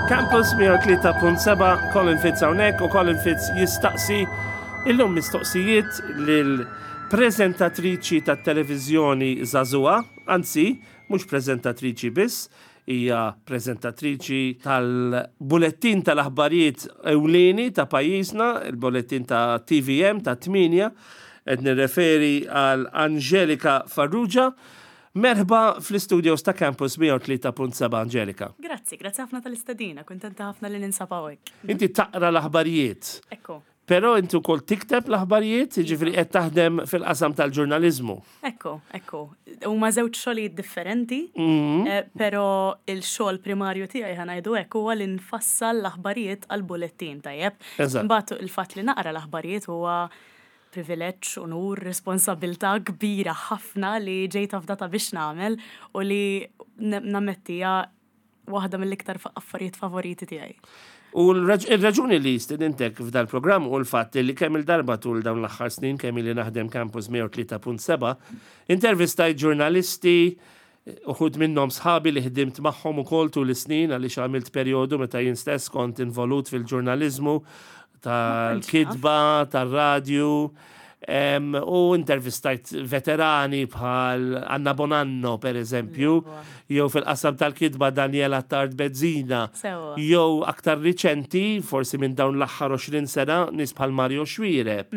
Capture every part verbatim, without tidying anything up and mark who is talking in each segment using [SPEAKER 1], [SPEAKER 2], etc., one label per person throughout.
[SPEAKER 1] Campus mija u tlieta punt seba', Colin Fitz hawnhekk u Colin Fitz jistaqsi illum mistoqsijiet lil prezentatriċi tat-televiżjoni żagħżugħa, anzi, mhux prezentatriċi biss, hija prezentatriċi tal-bulettin tal-aħbarijiet ewlieni ta' pajjiżna, il-bulettin ta' T V M ta' tmienja, qed nirreferi għal Angelika Farrugia. Merħba fl-studios ta' Campus mija u tlieta punt seba', Angelika.
[SPEAKER 2] Grazzi, grazzi ħafna tal-istedina, kontenta ħafna li ninsab hawnhekk.
[SPEAKER 1] Inti taqra l-aħbarijiet.
[SPEAKER 2] Ekku.
[SPEAKER 1] Però inti wkoll tikteb l-aħbarijiet, jiġifieri qed taħdem fil-qasam tal-ġurnaliżmu.
[SPEAKER 2] Ekku, ekku. Huma żewġ xogħlijiet differenti,
[SPEAKER 1] Mhm.
[SPEAKER 2] eh, però il-xogħol primarju tiegħi, ħa ngħidu hekk, huwa li nfassal l-aħbarijiet għal-bulettin, tajjeb.
[SPEAKER 1] Eżatt.
[SPEAKER 2] Imbagħad il-fatt li naqra l-aħbarijiet huwa privileġġ, unur, responsabilità kbira ħafna li ġejt afdata biex nagħmel u li nammettija waħda mill-iktar fa- affarijiet favoriti tiegħi.
[SPEAKER 1] U l-raġuni li stedintek f'dal programm u l-fatt li kemm il-darba tul dawn l-aħħar snin kemm li naħdem Campus mija u tlieta punt seba' intervistajt ġurnalisti, uħud minnhom sħabi li ħdimt magħhom ukoll tul is-snin, għaliex għamilt perjodu meta jien stess kont involut fil-ġurnaliżmu tal-kitba, tal-radju, em, u intervistajt veterani bħal Anna Bonanno, per eżempju, jew fil-qasam tal-kitba Daniela Tard Bezzina,
[SPEAKER 2] Sewa.
[SPEAKER 1] jew aktar riċenti, forsi minn dawn l-aħħar għoxrin sena, nies bħal Mario Xuereb.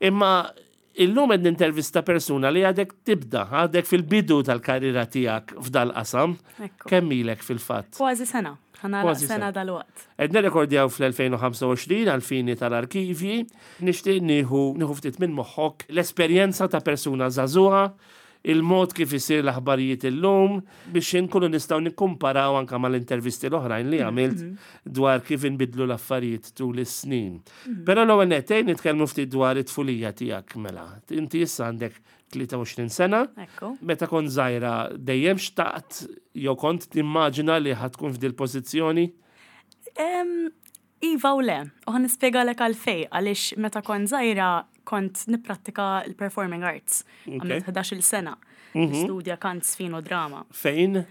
[SPEAKER 1] Imma illum qed nintervista persuna li għadek tibda, għadek fil-bidu tal-karriera tiegħek f'dal-qasam.
[SPEAKER 2] Ekku.
[SPEAKER 1] Kemm ilek fil-fatt?
[SPEAKER 2] Kważi sena. Ħa nagħlaq
[SPEAKER 1] Kważi
[SPEAKER 2] sena
[SPEAKER 1] sena.
[SPEAKER 2] dal-waqt.
[SPEAKER 1] Qed nirrekordjaw fl-elfejn u ħamsa u għoxrin għal-fini tal-arkivji, nixtieq nieħu nieħu ftit minn moħħok l-esperjenza ta' persuna żagħżugħa, il-mod kif isir l-aħbarijiet illum, biex inkunu nistgħu nikkumparaw anka mal-intervisti l-oħrajn li għamilt dwar kif inbidlu l-affarijiet tul is-snin. Però l-ewwel nett nitkellmu ftit dwar it-tfulija tiegħek mela. Inti issa għandek tlieta u għoxrin sena.
[SPEAKER 2] Ekku.
[SPEAKER 1] Meta kont żgħira dejjem xtaqt jew kont timmaġina li ħa tkun f'dil pożizzjoni?
[SPEAKER 2] Em, Iva u le, u ħa nispjegalek għalfejn, għaliex meta kont żgħira kont nipprattika l-performing arts. Għamilt ħdax-il sena. Studja kant, żfin u drama.
[SPEAKER 1] Fejn?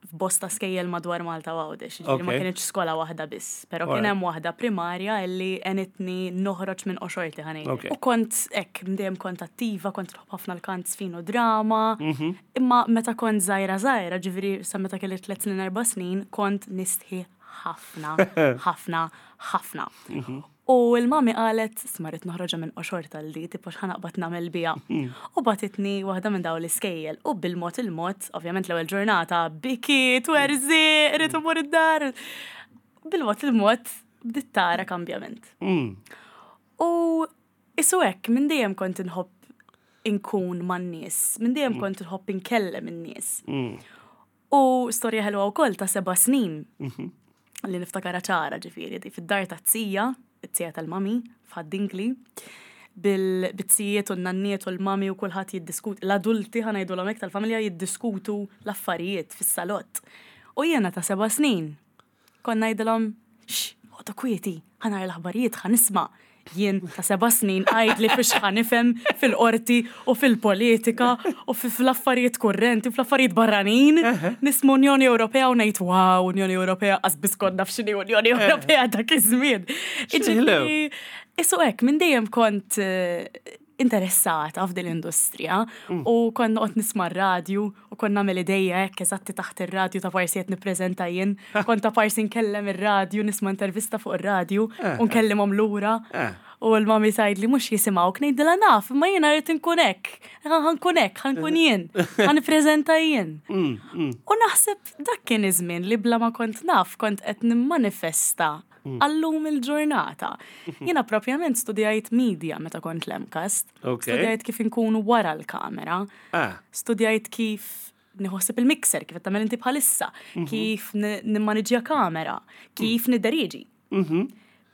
[SPEAKER 2] F'bosta skejjel madwar Malta u Għawdex. Ġifieri ma
[SPEAKER 1] Ok.
[SPEAKER 2] kienx skola waħda biss, però kien
[SPEAKER 1] Alright.
[SPEAKER 2] hemm waħda primarja illi għenitni noħroġ minn qoxorti, ħa ngħid.
[SPEAKER 1] Ok.
[SPEAKER 2] U kont hekk, dejjem kont attiva, kont nħobb ħafna l-kant, żfin u drama.
[SPEAKER 1] Mhm.
[SPEAKER 2] Imma meta kont żgħira żgħira, ġifieri sa meta kelli tliet snin, erba' snin, kont nistħi ħafna, ħafna, ħafna.
[SPEAKER 1] Mhm.
[SPEAKER 2] U il-mami qalet, "Isma', rrid noħroġha minn qoxortha li, tipo x'ħa naqbad nagħmel biha?" U bagħtitni waħda minn dawn l-iskejjel. U bil-mod il-mod, ovvjament l-ewwel ġurnata, biki, twerżiq, rrid immur id-dar. Bil-mod il-mod, bdiet tara kambjament.
[SPEAKER 1] Mm.
[SPEAKER 2] U isu hekk, minn dejjem kont inħobb inkun man-nies, minn dejjem kont inħobb inkellem in-nies.
[SPEAKER 1] Mm.
[SPEAKER 2] U storja ħelwa wkoll ta' seba' snin li niftakara ċara, ġifieri, di fid-dar ta' zija, it-zija tal-mami, f'Ħad-Dingli, bil-bizzijiet u n-nanniet u l-mami u kulħadd jiddiskut, l-adulti, ħa ngħidu l tal-familja, jiddiskutu l-affarijiet fis-salott. U jiena ta' seba' snin kont ngħidilhom, "X, oqogħdu kwieti, ħa nara l-aħbarijiet, ħa nisma'." Jien ta' seba' snin, għajd li fiex ħa nifhem fil-qorti u fil-politika u fil-affarijiet kurrenti u fl-affarijiet barranin. Nisma' Unjoni Ewropea u ngħid, "Wow, Unjoni Ewropea," qas biss kont naf x'inhi Unjoni Ewropea dak iż-żmien. Ġifieri, isu hekk, minn dejjem kont eh, interessata f'din l-industrija u kont noqgħod nisma' r-radju u kont nagħmel idejja hekk eżatti taħt ir-radju ta' parsi qed nippreżenta jien. Kont ta' parsi nkellem ir-radju, nisma' intervista fuq ir-radju u nkellimhom lura.
[SPEAKER 1] Eh.
[SPEAKER 2] U l-mami tgħid li mhux jisimgħuk, ngħidilha naf, imma jiena rrid inkun hekk. Ħa nkun hekk, ħa nkun jien, ħa nippreżenta jien.
[SPEAKER 1] Mm, mm.
[SPEAKER 2] U naħseb dak kien iż-żmien li bla ma kont naf kont qed nimmanifesta għallum il-ġurnata. Jiena propjament studjajt media meta kont l-MCAST.
[SPEAKER 1] Ok.
[SPEAKER 2] Studjajt kif inkunu wara l-kamera.
[SPEAKER 1] Ah.
[SPEAKER 2] Studjajt kif nieħu ħsieb il-mixer, kif qed tagħmel inti bħalissa, kif ni- nimmaniġġja kamera, kif nidderieġi.
[SPEAKER 1] Mhm.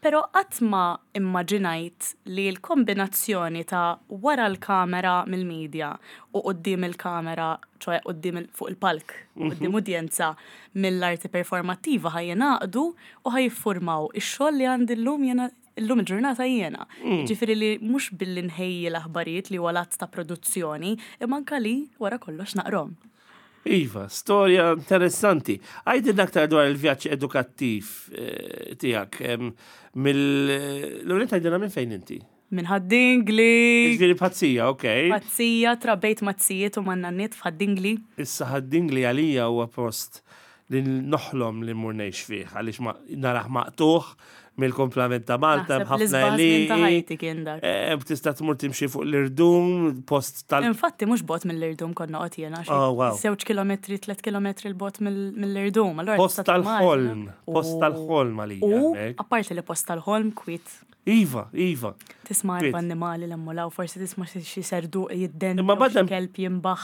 [SPEAKER 2] Pero qatt ma immaġinajt li l-kombinazzjoni ta' wara l-kamera mill-media u quddiem il-kamera, ċoè quddiem il- fuq il-palk, quddiem udjenza mill-arti performattiva ħa jingħaqdu u ħa jiffurmaw ix-xogħol li għandi llum jena illum il-ġurnata jiena. Ġifieri li mhux billi nħejji l-aħbarijiet li huwa l-att ta' produzzjoni, imma anka li wara kollox naqrom.
[SPEAKER 1] Iva, storja interessanti. Għidilna aktar dwar il-vjaġġ edukattiv eh, tiegħek. em, Mill L-għunet għidilna minn fejn inti?
[SPEAKER 2] Minn Ħad-Dingli.
[SPEAKER 1] Ġifieri Pazzija, ok.
[SPEAKER 2] Pazzija, trabbejt maz-zijiet u man-nanniet f'Ħad-Dingli.
[SPEAKER 1] Issa Ħad-Dingli għalija huwa post li noħlom li mmur ngħix fih, għaliex ma narah maqtugħ mill-komplament ta' Malta,
[SPEAKER 2] Naħseb
[SPEAKER 1] b'ħafna
[SPEAKER 2] l-isbaħ żmien ta'
[SPEAKER 1] għelieqi.
[SPEAKER 2] ħajti kien dak.
[SPEAKER 1] Eh, Tista' tmur timxi fuq l-irdum, post tal-
[SPEAKER 2] Infatti mhux bogħod mill-irdum konna noqgħod jiena xi
[SPEAKER 1] Oh, wow.
[SPEAKER 2] żewġ kilometri, tliet kilometri 'l bogħod mill- mill-irdum. Allura
[SPEAKER 1] Post
[SPEAKER 2] tista'
[SPEAKER 1] tal-ħolm,
[SPEAKER 2] timmaġina.
[SPEAKER 1] post
[SPEAKER 2] U-
[SPEAKER 1] tal-ħolm għalija.
[SPEAKER 2] U
[SPEAKER 1] hemmhekk.
[SPEAKER 2] apparti li post tal-ħolm kwiet
[SPEAKER 1] Iva, iva.
[SPEAKER 2] tisma'
[SPEAKER 1] Kwiet.
[SPEAKER 2] erba' annimali l-emmulaw, forsi tisma' xi xi serduq jidden,
[SPEAKER 1] Imma
[SPEAKER 2] jew xi
[SPEAKER 1] badem-
[SPEAKER 2] kelb jimbaħ.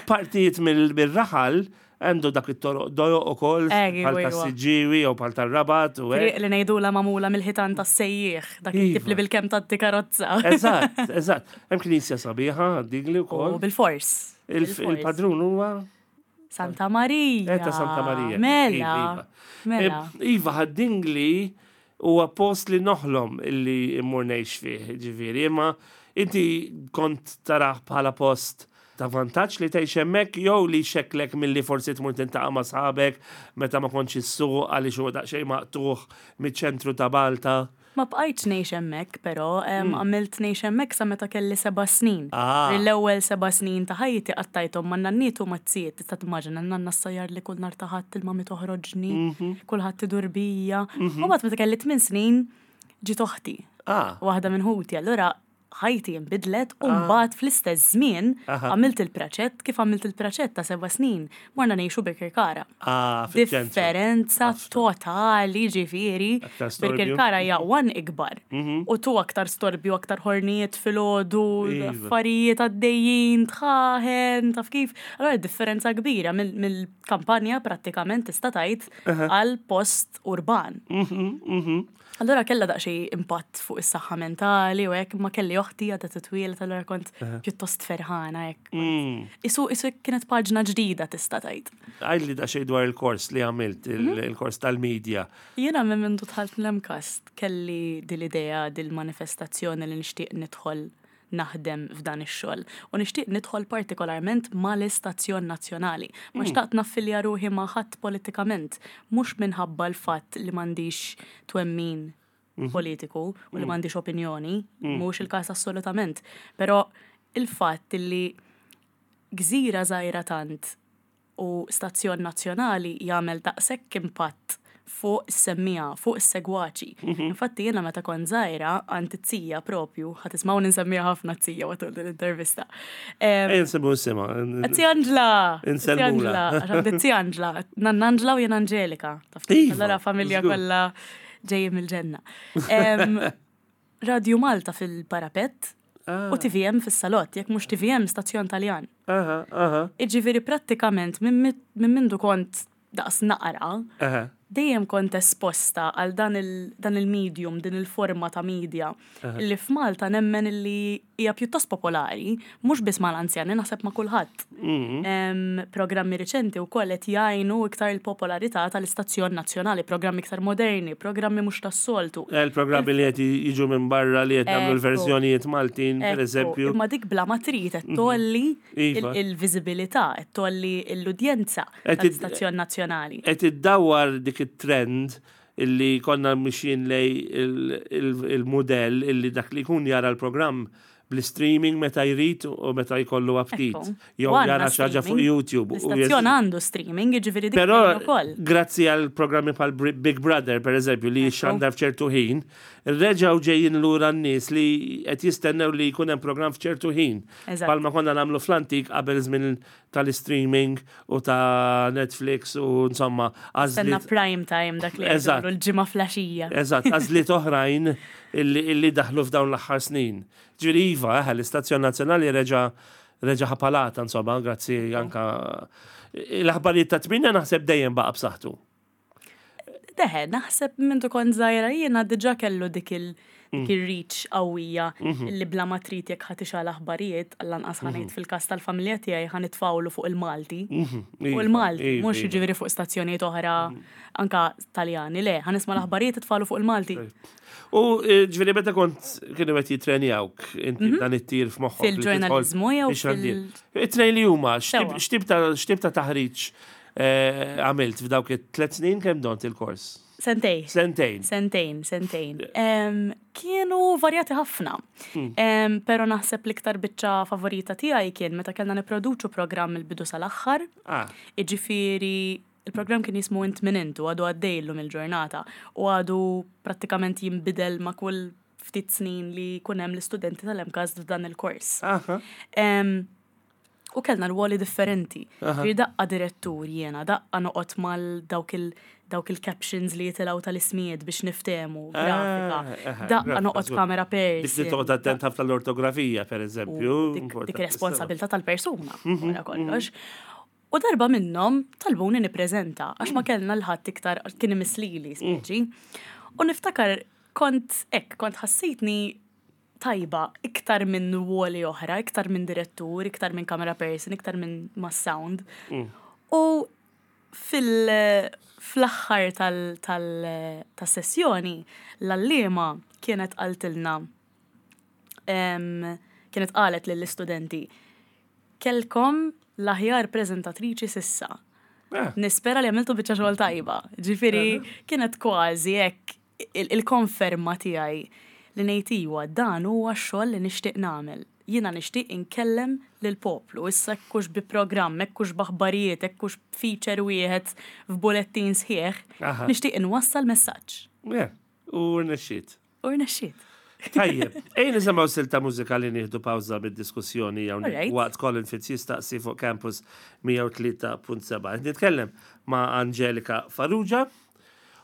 [SPEAKER 1] Partijiet mill- mill-raħal għandu dak it-toroq dojoq ukoll
[SPEAKER 2] Eh,
[SPEAKER 1] bħal
[SPEAKER 2] iwa, iwa.
[SPEAKER 1] tas-Siġġiewi jew bħal tar-Rabat u hekk.
[SPEAKER 2] Triq li ngħidula magħmula mill-ħitan tas-sejjieħ, dak it-tip li
[SPEAKER 1] Iva.
[SPEAKER 2] bil-kemm tgħaddi karozza.
[SPEAKER 1] Eżatt, eżatt. Hemm knisja sabiħa, Dingli
[SPEAKER 2] U
[SPEAKER 1] wkoll.
[SPEAKER 2] bil-fors.
[SPEAKER 1] Il-
[SPEAKER 2] bil-fors.
[SPEAKER 1] Il-padrun huwa
[SPEAKER 2] Santa Maria.
[SPEAKER 1] Eh, ta' Santa Maria.
[SPEAKER 2] Mela.
[SPEAKER 1] Iva, iva.
[SPEAKER 2] Mela.
[SPEAKER 1] Eh, Iva, Ħad-Dingli huwa post li noħlom illi immur ngħix fih, ġifieri, imma inti kont tarah bħala post ta' vantaġġ li tgħix hemmhekk jew li xekklek milli forsi tmur tintaqa' ma' sħabek meta ma kontx issuq għaliex huwa daqsxejn maqtugħ miċ-ċentru ta' Malta.
[SPEAKER 2] Ma bqajtx ngħix hemmhekk, però em, għamilt ngħix hemmhekk sa meta kelli seba' snin.
[SPEAKER 1] Ah.
[SPEAKER 2] L-ewwel seba' snin ta' ħajti qattajthom ma' nanniet u maz-zijiet. Tista' timmaġina n-nanna ssajjar li kull nhar ta' Ħadd il-mami toħroġni, kulħadd idur bija. U mbagħad meta kelli tmien snin ġiet oħti.
[SPEAKER 1] Ah,
[SPEAKER 2] Waħda minn ħuti, allura ħajti nbidlet u mbagħad fl-istess żmien
[SPEAKER 1] Aha.
[SPEAKER 2] għamilt il-praċett kif għamilt il-praċett ta' seba' snin. Morna ngħixu Birkirkara.
[SPEAKER 1] ah, fiċ-ċentru.
[SPEAKER 2] Differenza totali ġifieri.
[SPEAKER 1] Aktar storbju.
[SPEAKER 2] Birkirkara hija one ikbar. U tu aktar storbju, aktar ħornijiet filgħodu,
[SPEAKER 1] Iva.
[SPEAKER 2] affarijiet għaddejjin, dħaħen, taf kif. Allora differenza kbira mill- mill-kampanja prattikament tista' tgħid għal post urban.
[SPEAKER 1] Mhm, mhm.
[SPEAKER 2] Allora kella daqsxejn impatt fuq is-saħħa mentali u hekk ma kelli oħti għadha titwieled allura kont pjuttost ferħana hekk.
[SPEAKER 1] Mm.
[SPEAKER 2] Isu isu kienet paġna ġdida tista' tgħid.
[SPEAKER 1] Għidli daqsxejn dwar il-kors li għamilt, il- il-kors tal-medja.
[SPEAKER 2] Jiena minn mindu dħalt l-MCAST kelli dil-idea, dil-manifestazzjoni li nixtieq nidħol naħdem f'dan ix-xogħol. U nixtieq nidħol partikolarment mal-istazzjon nazzjonali. Ma xtaqt naffilja ruħi ma' ħadd politikament, mhux minħabba l-fatt li m'għandix twemmin politiku u li m'għandix opinjoni, mhux il-każ assolutament. Però il-fatt li gżira żgħira tant u stazzjon nazzjonali jagħmel daqshekk impatt fuq is-semmiegħa, fuq is-segwaċi. Infatti jiena meta kont żgħira għand iz-zija propju, ħa tismgħu nsemmiha ħafna z-zija matul din l-intervista. Em,
[SPEAKER 1] Ejja nsemmu isimha.
[SPEAKER 2] Zija Angela!
[SPEAKER 1] Insellmula.
[SPEAKER 2] Angela, għax għandi zija Angela, nanna Angela u jien Angelika. Taf kif?
[SPEAKER 1] Iva,
[SPEAKER 2] Allora familja
[SPEAKER 1] żgur.
[SPEAKER 2] kollha ġejjin mill-ġenna. Em, Radio Malta fil-parapet
[SPEAKER 1] Ah.
[SPEAKER 2] u T V M fis-salott, jekk mhux T V M stazzjon Taljan.
[SPEAKER 1] Aha, aha,
[SPEAKER 2] Iġifieri prattikament minn mit- minn mindu kont daqs naqra,
[SPEAKER 1] aha.
[SPEAKER 2] dejjem kont esposta għal dan il- dan il-medium, din il-forma ta' media, illi f'Malta nemmen illi hija pjuttost popolari, mhux biss mal-anzjani, naħseb ma' kulħadd.
[SPEAKER 1] Mhm.
[SPEAKER 2] Em, Programmi riċenti wkoll qed jgħinu iktar il-popolarità tal-istazzjon nazzjonali, programmi iktar moderni, programmi mhux tas-soltu.
[SPEAKER 1] Eh, il-programmi li qed jiġu minn barra li qed nagħmlu
[SPEAKER 2] Ekku.
[SPEAKER 1] l-verżjonijiet Maltin, per
[SPEAKER 2] Ekku,
[SPEAKER 1] eżempju.
[SPEAKER 2] Imma dik bla ma trid qed tgħolli
[SPEAKER 1] Iva.
[SPEAKER 2] il- il-viżibilità, qed tgħolli l-udjenza
[SPEAKER 1] Qed id-
[SPEAKER 2] tal-istazzjon nazzjonali.
[SPEAKER 1] Qed iddawwar dik it-trend illi konna mixjin lejn il- il- il-modell illi dak li jkun jara l-programm bl-streaming meta jrid u meta jkollu aptit.
[SPEAKER 2] Ekku.
[SPEAKER 1] Jew
[SPEAKER 2] U għandna
[SPEAKER 1] jara xi ħaġa fuq
[SPEAKER 2] streaming.
[SPEAKER 1] YouTube. U
[SPEAKER 2] L-istazzjon għandu streaming, jiġifieri dik
[SPEAKER 1] Però
[SPEAKER 2] tgħin ukoll.
[SPEAKER 1] grazzi għal programmi bħal Bri- Big Brother, per eżempju, li xandar f'ċertu ħin, reġgħu ġejjin lura n-nies li qed jistennew li jkun hemm programm f'ċertu ħin.
[SPEAKER 2] Eżatt.
[SPEAKER 1] Palma konna nagħmlu fl-antik qabel żmien tal-streaming u ta' Netflix u insomma
[SPEAKER 2] Stenna
[SPEAKER 1] għażliet
[SPEAKER 2] prime time dak li
[SPEAKER 1] Eżatt.
[SPEAKER 2] jgħidu l-ġimgħa filgħaxija.
[SPEAKER 1] Eżatt, għażliet oħrajn illi, illi daħlu f'dawn l-aħħar snin. Ġifieri iva, eh, l-istazzjon nazzjonali reġa' reġa' ħa palata, insomma, grazzi anka l-aħbarijiet ta' tmienja naħseb dejjem baqa' b'saħħtu.
[SPEAKER 2] Teħe, naħseb minn kont żgħira jiena diġà kellu dik il- dik il-reach qawwija li bla ma trid jekk ħa tixgħel aħbarijiet, għall-anqas ħa ngħid fil-każ tal-familja tiegħi ħa nitfgħulu fuq il-Malti. Fuq il-Malti,
[SPEAKER 1] Iva,
[SPEAKER 2] mhux
[SPEAKER 1] iva.
[SPEAKER 2] jiġifieri fuq stazzjonijiet oħra anka Taljani, le, ħa nisma' l-aħbarijiet itfagħlu fuq il-Malti.
[SPEAKER 1] U eh, ġifieri meta kont kienu qed jitrenjawk inti dan it-tir f'moħħok li tidħol
[SPEAKER 2] Fil-ġurnalizmu jew
[SPEAKER 1] fix-xandir.
[SPEAKER 2] fil-
[SPEAKER 1] It-tnejn li huma, x'tip
[SPEAKER 2] Sewa.
[SPEAKER 1] x'tip ta' x'tip ta' taħriġ eh, għamilt f'dawk it-tlet snin kemm dont il-kors?
[SPEAKER 2] Sentej.
[SPEAKER 1] Sentejn.
[SPEAKER 2] Sentejn, sentejn. Em, kienu varjati ħafna. Em, Pero naħseb l-iktar biċċa favorita tiegħi kien meta kellna nipproduċu programm il-bidu sal-aħħar.
[SPEAKER 1] Ah,
[SPEAKER 2] Iġifieri il-programm kien jismu Int Min Int u għadu għaddej illum il-ġurnata u għadu prattikament jinbidel ma' kull ftit snin li jkun hemm l-istudenti tal-MCAST f'dan il-kors.
[SPEAKER 1] aha.
[SPEAKER 2] Em, U kellna rwoli differenti. Ġifieri daqqa direttur jiena, daqqa noqgħod mal dawk il dawk il-captions li jitilgħu tal-ismijiet biex niftemu, grafika.
[SPEAKER 1] Ah, aha,
[SPEAKER 2] Daqqa
[SPEAKER 1] grafika,
[SPEAKER 2] noqgħod
[SPEAKER 1] żgur.
[SPEAKER 2] camera
[SPEAKER 1] Dik li
[SPEAKER 2] person.
[SPEAKER 1] toqgħod attent ħafna l-ortografija, per eżempju.
[SPEAKER 2] U dik, dik responsabilità tal-persuna, wara kollox. U darba minnhom talbuni nippreżenta għax ma kellna l-ħadd iktar kien imislili speċi. U niftakar kont hekk, kont ħassejtni tajba iktar minn ruoli oħra, iktar minn direttur, iktar minn camera person, iktar minn ma' sound. U fil fl-aħħar tal- tal- tas-sessjoni l-għalliema kienet qaltilna em, kienet qalet lill-istudenti kellkom l-aħjar preżentatriċi s'issa.
[SPEAKER 1] Ah,
[SPEAKER 2] Nispera li għamiltu biċċa xogħol tajba. Ġifieri kienet kważi hekk il- il-konferma tiegħi li ngħid iwa dan huwa x-xogħol li nixtieq nagħmel. Jiena nixtieq inkellem lill-poplu, issa hekk hux bi programm, hekk hux b'aħbarijiet, hekk hux feature wieħed f'bulettin sħiħ,
[SPEAKER 1] Aha.
[SPEAKER 2] nixtieq inwassal messaġġ.
[SPEAKER 1] yeah, U rnexxiet.
[SPEAKER 2] U rnexxiet.
[SPEAKER 1] Tajjeb, ejja nisimgħu silta mużikali nieħdu pawża bid-diskussjoni hawnhekk
[SPEAKER 2] Alright.
[SPEAKER 1] waqt Colin Fitz jistaqsi fuq Campus mija u tlieta punt seba'. Nitkellem ma' Angelika Farrugia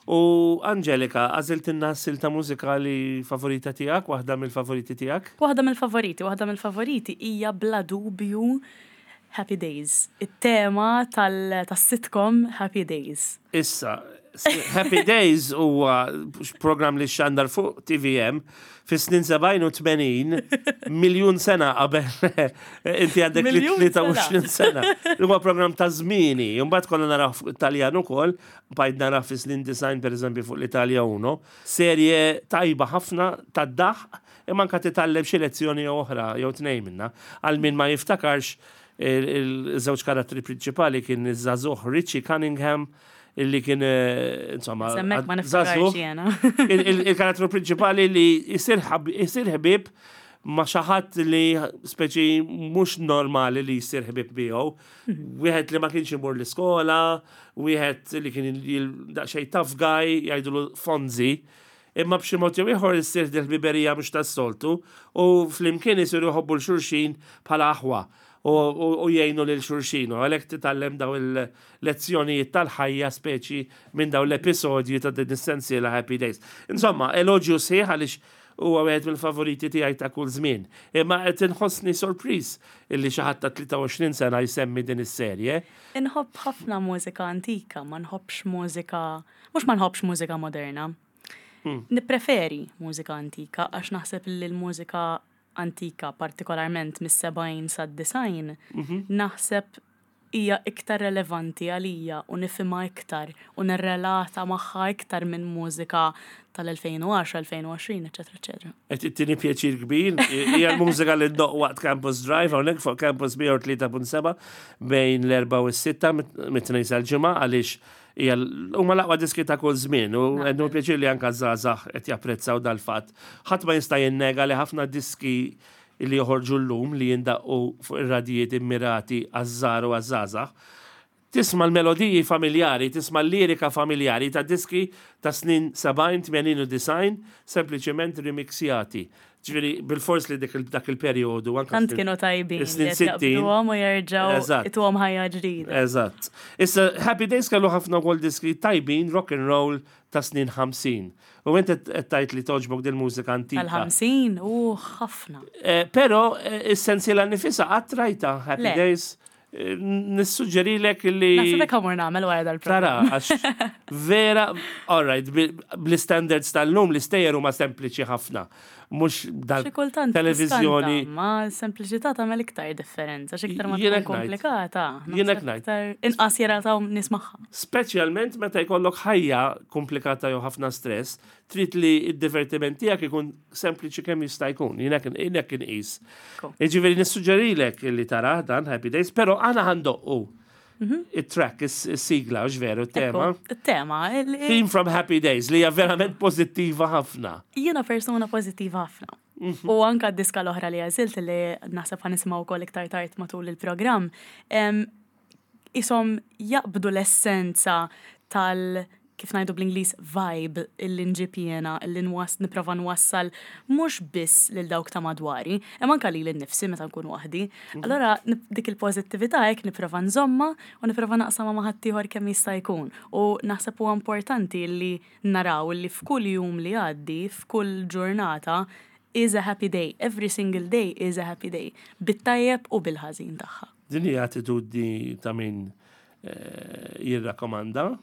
[SPEAKER 1] u Angelika, għażiltilna silta mużikali favorita tiegħek, waħda mill-favoriti tiegħek?
[SPEAKER 2] Waħda mill-favoriti, waħda mill-favoriti hija bla dubju Happy Days. It-tema tal-sitcom Happy Days.
[SPEAKER 1] Issa, Happy Days huwa program li xandar fuq T V M fi snin sebgħin u tmenin, miljun sena qabel inti għandek
[SPEAKER 2] Miljun
[SPEAKER 1] tlieta u għoxrin sena. Huwa program ta' żmieni, mbagħad konna naraw fuq Italjan ukoll, bajt naraw fi snin disgħin per eżempju fuq l-Italja uno. Serje tajba ħafna ta' daħ, imma anka titgħallem xi lezzjoni jew oħra jew tnejn minna. Għal min ma jiftakarx il-żewġ karattri prinċipali kien iż-żagħżugħ Richie Cunningham illi kien eh, insomma
[SPEAKER 2] Semmek ma
[SPEAKER 1] żagħżugħ.
[SPEAKER 2] niftakarx jiena.
[SPEAKER 1] Il- il- Il-karattru prinċipali li jisir ħab- jisir ħbib ma' xi ħadd li speċi mhux normali li jisir ħbib miegħu. Wieħed li ma kienx imur l-iskola, wieħed li kien il- daqsxejn tough guy, jgħidulu Fonzi. Imma b'xi mod jew ieħor issir dil-ħbiberija mhux tas-soltu u flimkien isiru jħobbu 'l xulxin bħala aħwa u u- u jgħinu lil xulxin u għalhekk titgħallem daw il-lezzjonijiet tal-ħajja speċi minn daw l-episodji ta' din is-sensiela Happy Days. Insomma, eloġju sħiħ għaliex huwa wieħed mill-favoriti tiegħi ta' kull żmien. Imma qed inħossni sorpriż illi xi ħadd ta' tlieta u għoxrin sena jsemmi din is-serje.
[SPEAKER 2] Inħobb ħafna mużika antika, ma nħobbx mużika, mhux ma nħobbx mużika moderna. Nippreferi mużika antika għax naħseb li l-mużika antika, partikolarment mis-sebgħin sad-disgħin, naħseb hija iktar relevanti għalija u nifhimha iktar u nirrelata magħha iktar minn mużika tal-elfejn u għaxra, elfejn u għoxrin, eċetera, eċetera.
[SPEAKER 1] Qed ittini pjaċir kbir, hija l-mużika li ddoqq waqt Campus Drive, hawnhekk fuq Campus mija u tlieta punt seba' bejn l-erbgħa u s-sitta mit-Tnejn sal-Ġimgħa għaliex hija l- huma l-aqwa diski ta' kull żmien u għandu pjaċir li anka żgħażagħ qed japprezzaw dal-fatt. Ħadd ma jista' jinnega li ħafna diski li joħorġu llum li jindaqqu fuq ir-radijiet immirati għaż-żgħar u għaż-żgħażagħ tisma' l-melodiji familjari, tisma' l-lirika familjari ta' diski ta' snin sebgħin, tmenin u disgħin, sempliċement remixjati. Ġifieri, bil-fors li dik il- dak il-periodu. Anka
[SPEAKER 2] Tant
[SPEAKER 1] snin-
[SPEAKER 2] kienu tajbin li
[SPEAKER 1] snin
[SPEAKER 2] qed
[SPEAKER 1] sittin.
[SPEAKER 2] jaqbduhom u jerġgħu
[SPEAKER 1] Eżatt.
[SPEAKER 2] ituhom ħajja ġdida.
[SPEAKER 1] Eżatt. Issa, Happy Days kellu ħafna wkoll diski tajbin, rock and roll ta' snin ħamsin. U inti qed tgħid li togħġbok dil-mużika antika.
[SPEAKER 2] Tal-ħamsin u ħafna.
[SPEAKER 1] Eh, Pero eh, is-sensiela nifisha qatt rajta Happy
[SPEAKER 2] Le.
[SPEAKER 1] Days. eh, nissuġġerilek li.
[SPEAKER 2] Naħseb hekk ħa mmur nagħmel wara
[SPEAKER 1] Tara,
[SPEAKER 2] dal-programm.
[SPEAKER 1] għax vera, all right, bl-standards tal-lum l-istejjer huma sempliċi ħafna. Mhux
[SPEAKER 2] Xi kultant
[SPEAKER 1] dal-televizjoni.
[SPEAKER 2] tiskanta, Ma sempliċità tagħmel iktar differenza, xi iktar ma
[SPEAKER 1] Jiena
[SPEAKER 2] tkun
[SPEAKER 1] ngħid.
[SPEAKER 2] komplikata.
[SPEAKER 1] Jiena
[SPEAKER 2] naħseb
[SPEAKER 1] ngħid.
[SPEAKER 2] iktar inqas jirataw nies magħha.
[SPEAKER 1] Speċjalment meta jkollok ħajja komplikata jew ħafna stress, trid li id-divertiment tiegħek ikun sempliċi kemm jista' jkun. Jiena kien jiena kien qis.
[SPEAKER 2] Cool.
[SPEAKER 1] Jiġifieri nissuġġerilek li tara dan Happy Days, però aħna ħa ndoqqu it-track, is-sigla, hux veru, tema.
[SPEAKER 2] Ekku, Il-tema. il- il-
[SPEAKER 1] Theme from Happy Days li hija verament pożittiva ħafna.
[SPEAKER 2] Jiena persuna pożittiva ħafna.
[SPEAKER 1] Mhm.
[SPEAKER 2] U anka d-diska l-oħra li għażilt li naħseb ħa nisimgħu wkoll iktar tard matul il-programm, em, isom jaqbdu l-essenza tal kif ngħidu bl-Ingliż vibe illi nġib jiena, illi nwas nipprova nwassal mhux biss lil dawk ta' madwari, imma anka lili nnifsi meta nkun waħdi. Allora nip- dik il-pożittività hekk nipprova nżomma u nipprova naqsama ma' ħaddieħor kemm jista' jkun. U naħseb huwa importanti li naraw li f'kull jum li għaddi, f'kull ġurnata, is a happy day. Every single day is a happy day. Bit-tajjeb u bil-ħażin tagħha.
[SPEAKER 1] Din hija attitudni ta' min eh, jirrakkomanda.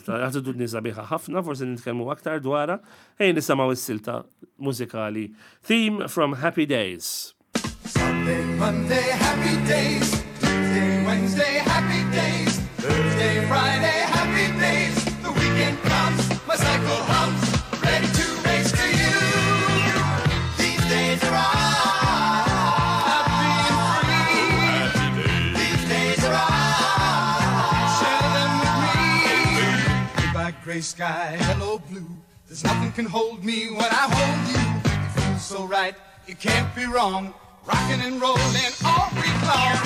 [SPEAKER 1] Attitudni sabiħa ħafna, forsi nitkellmu aktar dwarha. Ejja nisimgħu is-silta mużikali Theme from Happy Days.
[SPEAKER 3] Sunday, Monday, happy days. Tuesday, Wednesday, happy days. Thursday, Friday, happy days. The weekend comes, my cycle hums, ready to race to you. These days are ours. Happy and free. These days are ours. Share them with me. Goodbye, gray sky, hello, blue. There's nothing can hold me when I hold you. It feels so right, it can't be wrong. Rocking and rolling all week long.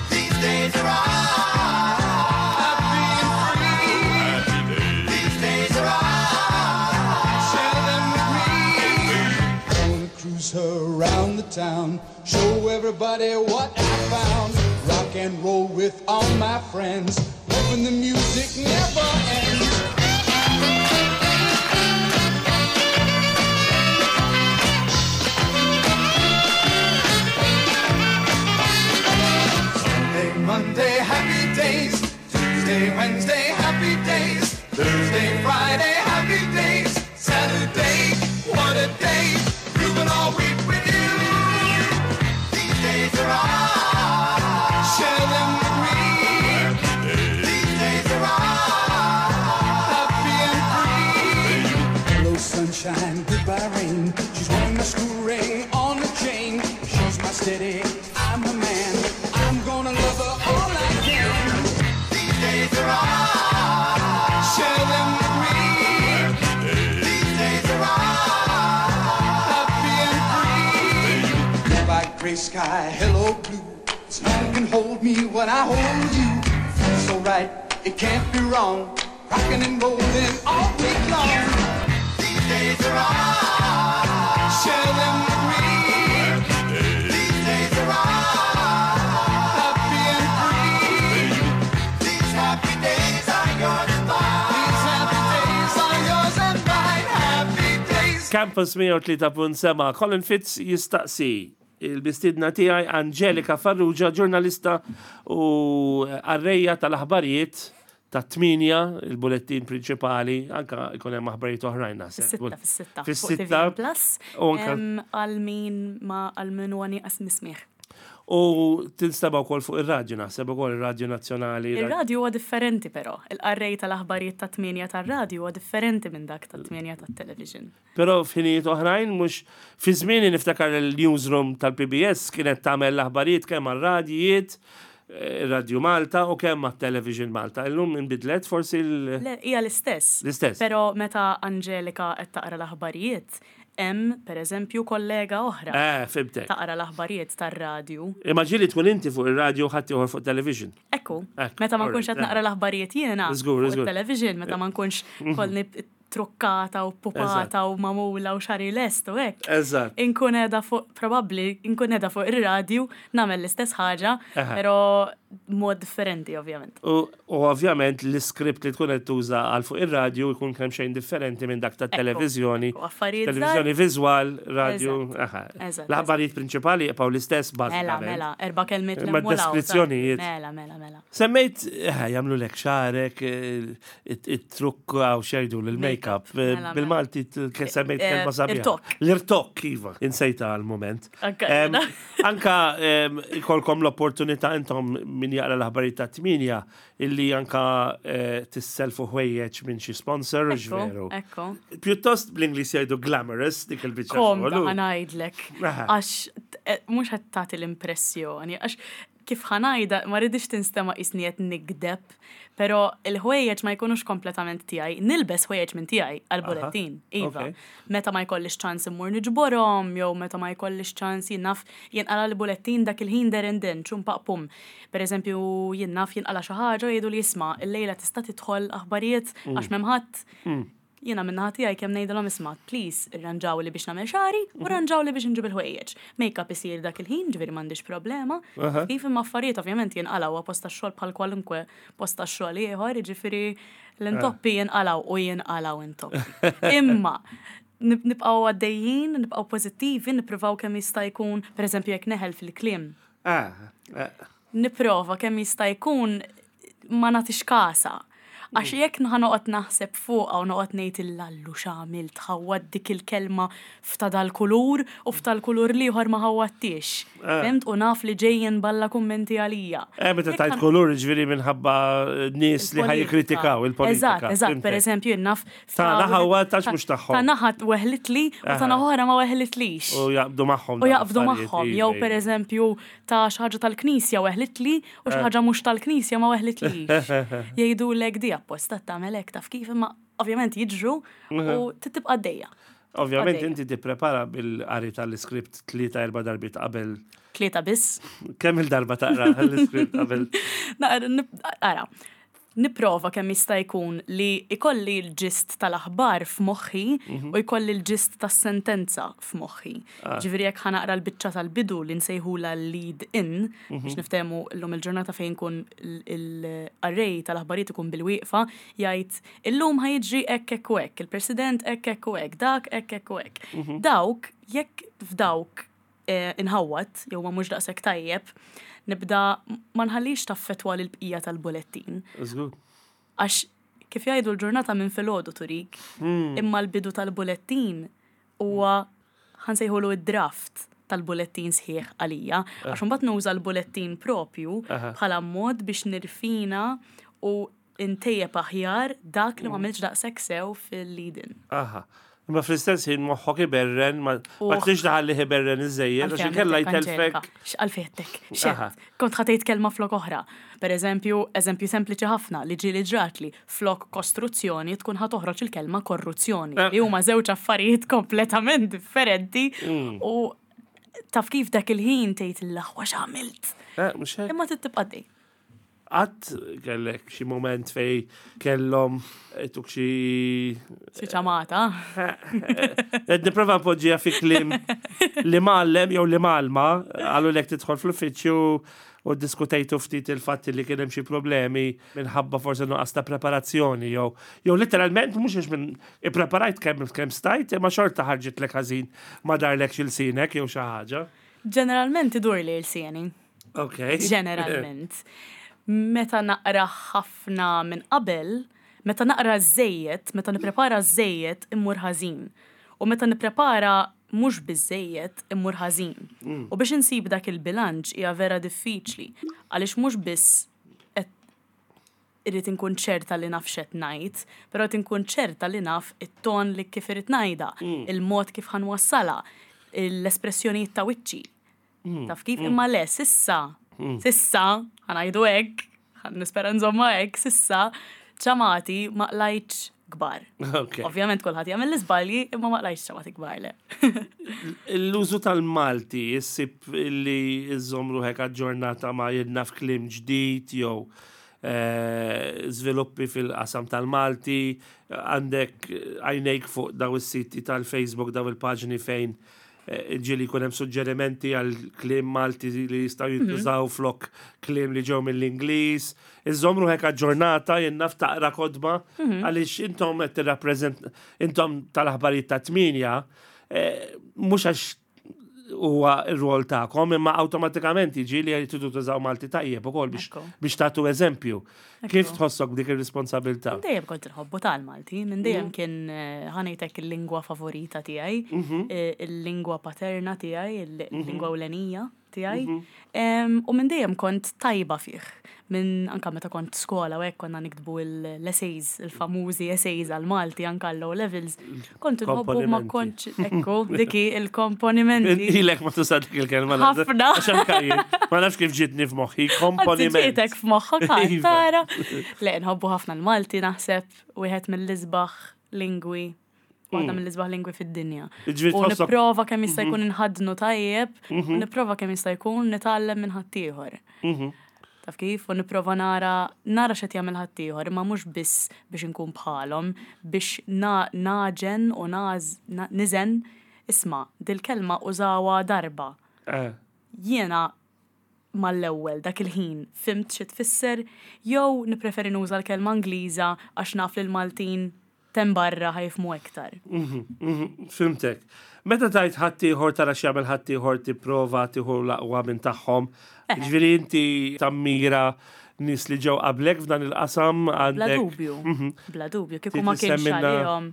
[SPEAKER 3] These days are ours. Happy and free. These days are ours. Share them with me. Gonna cruise her around the town, show everybody what I found. Rock and roll with all my friends, hoping the music never ends. Sunday, Monday, happy days. Tuesday, Wednesday, happy days. Thursday, Friday, happy days. Saturday, what a day. Grooving all week with you. These days are ours. Share them with me. These days are ours. Happy and free. Hello, sunshine, goodbye, rain. She's wearing my school ring on the chain. She's my steady, I'm her man. I'm gonna love her all I can. These days are ours. Share them with me. These days are ours. Happy and free. Goodbye, gray sky, hello, blue. There's nothing can hold me when I hold you. Feels so right, it can't be wrong. Rocking and rolling all week long. These days are ours. Share them with me. These days are ours. Happy and free. These happy days are yours and mine. These happy days are yours and mine. Happy days.
[SPEAKER 1] Campus mija u tlieta punt sebgħa, Colin Fitz jistaqsi il-mistiedna tiegħi Angelika Farrugia, ġurnalista u qarrejja tal-aħbarijiet ta' tmienja, il-bulettin prinċipali, anka ikun hemm aħbarijiet oħrajn naħseb.
[SPEAKER 2] Fis-sitta, fis-sitta. fuq
[SPEAKER 1] Fis-sitta.
[SPEAKER 2] T V M Plus.
[SPEAKER 1] U anka-
[SPEAKER 2] Em, Għal min ma għal min huwa nieqas mis-smigħ.
[SPEAKER 1] U tinstema' wkoll fuq ir-radju naħseb ukoll ir-Radju Nazzjonali.
[SPEAKER 2] Ir-radju huwa differenti però. Il-qarrej tal-aħbarijiet ta' tmienja tar-radju huwa differenti minn dak ta' tmienja tat-television.
[SPEAKER 1] Però f'ħinijiet oħrajn mhux fi żmieni niftakar il-newsroom tal-P B S kienet tagħmel l-aħbarijiet kemm għar-radjijiet, eh, Radio Malta u kemm għat-Television Malta. Illum inbidlet forsi l-
[SPEAKER 2] Le, hija l-istess.
[SPEAKER 1] L-istess.
[SPEAKER 2] Però meta Angelika qed taqra l-aħbarijiet, hemm pereżempju kollega oħra
[SPEAKER 1] Eh, fhimtek.
[SPEAKER 2] taqra l-aħbarijiet tar-radju.
[SPEAKER 1] Imma ġieli tkun inti fuq ir-radju u ħadd ieħor fuq television.
[SPEAKER 2] Ekku,
[SPEAKER 1] Ekku,
[SPEAKER 2] meta ma nkunx qed
[SPEAKER 1] alright,
[SPEAKER 2] naqra l-aħbarijiet jiena
[SPEAKER 1] Żgur,
[SPEAKER 2] fuq
[SPEAKER 1] żgur.
[SPEAKER 2] il-television, meta ma nkunx kolni trukkata u pupata u magħmula u xagħri lest u hekk.
[SPEAKER 1] Eżatt.
[SPEAKER 2] Inkun qiegħda fuq, probabbli, inkun qiegħda fuq ir-radju, nagħmel l-istess ħaġa,
[SPEAKER 1] Aha.
[SPEAKER 2] però mod differenti, ovvjament.
[SPEAKER 1] U u ovvjament l-iskript li tkun qed tuża għal fuq ir-radju jkun kemm xejn differenti minn dak tat-televiżjoni.
[SPEAKER 2] Ekku, affarijiet żgħar.
[SPEAKER 1] Televiżjoni viżwal, radju.
[SPEAKER 2] Eżatt.
[SPEAKER 1] aha.
[SPEAKER 2] Eżatt,
[SPEAKER 1] L-aħbarijiet prinċipali jibqgħu l-istess
[SPEAKER 2] Mela,
[SPEAKER 1] bażikament.
[SPEAKER 2] mela, erba' kelmiet
[SPEAKER 1] Imma
[SPEAKER 2] l hemm u l-hawn,
[SPEAKER 1] deskrizzjonijiet.
[SPEAKER 2] Mela, mela, mela.
[SPEAKER 1] Semmejt, eh, jagħmlu lek xagħrek, eh, it-trukk għaw xejdu l-make-up.
[SPEAKER 2] Mela, mela.
[SPEAKER 1] Bil-Malti t- ke- semmejt
[SPEAKER 2] Eh,
[SPEAKER 1] kelma sabiħa.
[SPEAKER 2] irtokk.
[SPEAKER 1] L-irtokk, iva. Insejta għal-moment.
[SPEAKER 2] Anka
[SPEAKER 1] Em,
[SPEAKER 2] jiena.
[SPEAKER 1] Anka em, ikolkom l-opportunità intom min jaqra l-aħbarijiet ta' tminja illi anka eh, tisselfu ħwejjeġ minn xi sponsor,
[SPEAKER 2] Ekku,
[SPEAKER 1] veru.
[SPEAKER 2] ekku.
[SPEAKER 1] Pjuttost bl-Ingliż jgħidu glamorous dik il-biċċa
[SPEAKER 2] Komda
[SPEAKER 1] xogħol.
[SPEAKER 2] ħa ngħidlek.
[SPEAKER 1] Aha.
[SPEAKER 2] Għax eh, mhux qed tagħti l-impressjoni, għax kif ħa ngħidha ma rridix tinstema' qisni qed nigdeb, però il-ħwejjeġ ma jkunux kompletament tiegħi. Nilbes ħwejjeġ minn tiegħi għal-bulettin, iva.
[SPEAKER 1] ok.
[SPEAKER 2] Meta ma jkollix ċans immur niġborhom, jew meta ma jkollix ċans jien naf jinqala l-bulettin dak il-ħin there and then, ċum paqpum. Per eżempju, jien naf jinqala xi ħaġa jgħidu li isma' illejla tista' tidħol aħbarijiet għax m'hemm ħadd. Jiena min-naħa tiegħi kemm ngħidilhom isma', please, irranġaw li biex nagħmel xagħri u rranġaw li biex nġib il-ħwejjeġ. Make-up isir dak il-ħin, ġifieri m'għandix problema.
[SPEAKER 1] Aha.
[SPEAKER 2] Kif imma affarijiet ovvjament jinqalaw posta xogħol bħal kwalunkwe posta xogħol ieħor, jiġifieri l-intoppi jinqalaw u jinqalaw intoppi. Imma nib- nibqgħu għaddejjin, nibqgħu pożittivi, nippruvaw kemm jista' jkun, pereżempju jekk neħel fil-kliem,
[SPEAKER 1] Ah, eh,
[SPEAKER 2] nipprova kemm jista' jkun ma nagħtix kasa. Għax jekk ħa noqgħod naħseb fuqha u noqgħod ngħid illallu x'għamilt ħawwad dik il-kelma f'ta' dal-kulur u f'ta' l-kulur l-ieħor ma ħawwadtix. Fhimt u naf li ġejjin balla kummenti għalija.
[SPEAKER 1] Eh, meta
[SPEAKER 2] Jekk
[SPEAKER 1] tajt
[SPEAKER 2] ħan-
[SPEAKER 1] kulur ġifieri minħabba nies li
[SPEAKER 2] il-politika.
[SPEAKER 1] ħajkritikaw il-politika.
[SPEAKER 2] Eżatt, eżatt,
[SPEAKER 1] fhimtek.
[SPEAKER 2] per eżempju, jien naf.
[SPEAKER 1] Ta' naħa tax mhux tagħhom.
[SPEAKER 2] Ta' naħa weħlitli u ta' naħa oħra ma weħlitlix.
[SPEAKER 1] U jaqbdu magħhom.
[SPEAKER 2] U jaqbdu magħhom, jew per eżempju ta' xi ħaġa tal-knisja weħlitli u xi ħaġa mhux tal-knisja ma weħlitlix. Jgħidu lek di apposta tagħmel hekk taf kif imma ovvjament jiġru u tibqa' għaddejja.
[SPEAKER 1] Ovvjament
[SPEAKER 2] għaddejja.
[SPEAKER 1] inti tipprepara bil-qari tal-iskript tlieta erba' darbiet qabel.
[SPEAKER 2] Tlieta biss.
[SPEAKER 1] Kemm il-darba taqra l-iskript qabel?
[SPEAKER 2] Naqra, nib- Ara, nipprova kemm jista' jkun li ikolli l-gist tal-aħbar f'moħħi u jkolli l-gist tas-sentenza f'moħħi. Ġifieri jekk ħa naqra l-biċċa tal-bidu li nsejħula lead in biex niftehmu llum il-ġurnata fejn kun il-array tal-aħbarijiet ikun bil-wieqfa jgħid illum ħa jiġri hekk hekk u hekk, il-President hekk hekk u hekk, dak hekk hekk u hekk. Dawk, jekk f'dawk eh, inħawat, jew ma mhux daqshekk tajjeb, nibda ma nħallix taffetwa lil bqija tal-bulettin.
[SPEAKER 1] Żgur.
[SPEAKER 2] Għax kif jgħidu l-ġurnata minn filgħodu turik, imma l-bidu tal-bulettin huwa ħa nsejħulu id-draft tal-bulettin sħiħ għalija, għax imbagħad nuża l-bulettin propju
[SPEAKER 1] Aha.
[SPEAKER 2] bħala mod biex nirfina u intejjeb aħjar dak li ma għamilx daqshekk sew fil-lead-in.
[SPEAKER 1] Aha. Imma fl-istess ħin moħħok iberren, ma ma
[SPEAKER 2] Uħ.
[SPEAKER 1] trix tħalli iberren iżejjed, għax inkella jtelfek.
[SPEAKER 2] X'għalfejtek,
[SPEAKER 1] Aha.
[SPEAKER 2] xed, kont ħa tgħid kelma flok oħra. Per eżempju, eżempju sempliċi ħafna li ġieli ġratli flok kostruzzjoni tkun ħa toħroġ il-kelma korruzzjoni.
[SPEAKER 1] Eh.
[SPEAKER 2] Li huma żewġ affarijiet kompletament differenti
[SPEAKER 1] Mm.
[SPEAKER 2] u taf kif dak il-ħin tgħid l-aħwa x'għamilt.
[SPEAKER 1] Eh, mhux hekk.
[SPEAKER 2] Imma tibqa' dej.
[SPEAKER 1] Qatt kellek xi moment fej kellhom tuk xi
[SPEAKER 2] Xi ċamata.
[SPEAKER 1] Qed nipprova npoġġiha fi kliem li mgħallem jew li mgħallma qalu lek tidħol fl-uffiċċju u diskutejtu ftit il-fatt li kien hemm xi problemi minħabba forsi nuqqas ta' preparazzjoni jew jew literalment mhux għax minn ippreparajt kemm kemm stajt imma xorta ħarġitlek ħażin ma darlekx ilsinek jew xi ħaġa.
[SPEAKER 2] Ġeneralment idur li l-sieni.
[SPEAKER 1] Ok.
[SPEAKER 2] Ġeneralment. Meta naqra ħafna minn qabel, meta naqra żejjed, meta nipprepara żejjed immur ħażin. U meta nipprepara mhux biżejjed immur ħażin. U biex insib dak il-bilanċ hija vera diffiċli għaliex mhux biss qed irrid inkun ċerta li naf x'qed ngħid, però qed inkun ċerta li naf it-ton li kif irid ngħidha, il-mod kif ħa nwassalha, l-espressjonijiet ta' wiċċi. Taf kif imma le, s'issa, s'issa, ħa ngħidu hekk, ħa nispera nżomma hekk, s'issa, ċamati ma qlajtx kbar.
[SPEAKER 1] Ok.
[SPEAKER 2] Ovvjament kulħadd jagħmel l-iżbalji, imma ma qlajtx ċamati kbar le.
[SPEAKER 1] L-użu tal-Malti issib li iżżomm ruħek aġġornata ma' jien naf kliem ġdid jew eh, żviluppi fil-qasam tal-Malti, għandek għajnejk fuq daw is-siti tal-Facebook, daw il-paġni fejn eh, ġieli jkun hemm suġġerimenti għal kliem Malti li jistgħu jintużaw flok kliem li ġew mill-Ingliż. Iżżomm ruħek aġġornata, jien naf taqra kotba, għaliex intom qed tirrappreżent intom tal-aħbarijiet ta' tmienja, eh, mhux għax huwa r-rol tagħkom, imma awtomatikament jiġi li tridu tużaw Malti tajjeb ukoll biex
[SPEAKER 2] Ekku.
[SPEAKER 1] biex tagħtu eżempju. Kif
[SPEAKER 2] Ekku.
[SPEAKER 1] tħossok dik ir-responsabilità?
[SPEAKER 2] Dejjem kont inħobbu tal-Malti, minn dejjem kien eh, ħa ngħidlek il-lingwa favorita tiegħi, eh, il-lingwa paterna tiegħi, il-lingwa ewlenija tiegħi. Em, U minn dejjem kont tajba fih. Minn anka meta kont skola u hekk konna niktbu l-essays, il-famużi essays għal-Malti anka l-O levels. Kont inħobbu ma
[SPEAKER 1] Komponimenti.
[SPEAKER 2] kontx, ekku, diki il-komponimenti.
[SPEAKER 1] Ilek ma tuża dik il-kelma.
[SPEAKER 2] Ħafna.
[SPEAKER 1] Għax anka jien, ma nafx kif ġitni f'moħħi, komponiment.
[SPEAKER 2] Ġietek f'moħħok
[SPEAKER 1] Iva.
[SPEAKER 2] tara. Le, nħobbu ħafna l-Malti naħseb wieħed mill-isbaħ lingwi waħda mill-isbaħ lingwi fid-dinja.
[SPEAKER 1] Ġifieri
[SPEAKER 2] U
[SPEAKER 1] tħossok-
[SPEAKER 2] nipprova kemm jista' jkun inħadnu tajjeb, u nipprova kemm jista' jkun nitgħallem minn ħaddieħor. Taf kif? U nipprova nara nara x'qed jagħmel ħaddieħor, imma mhux biss biex inkun bħalhom, biex na- naġen u naż na- niżen isma' dil-kelma użawha darba
[SPEAKER 1] Eh,
[SPEAKER 2] jiena mal-ewwel dak il-ħin fhimt xi tfisser jew nippreferi nuża l-kelma Ingliża għax naf li l-Maltin t'hemm barra ħa jifhmu iktar.
[SPEAKER 1] mhm, Fhimtek. Meta tajt ħaddieħor tara x'jagħmel ħaddieħor tipprova tieħu l-aqwa minn tagħhom. Ġifieri inti tammira nies li ġew qablek f'dan il-qasam
[SPEAKER 2] Bla
[SPEAKER 1] għandek
[SPEAKER 2] dubju, bla dubju, kieku ma
[SPEAKER 1] Trid
[SPEAKER 2] kienx
[SPEAKER 1] tissemminna
[SPEAKER 2] għalihom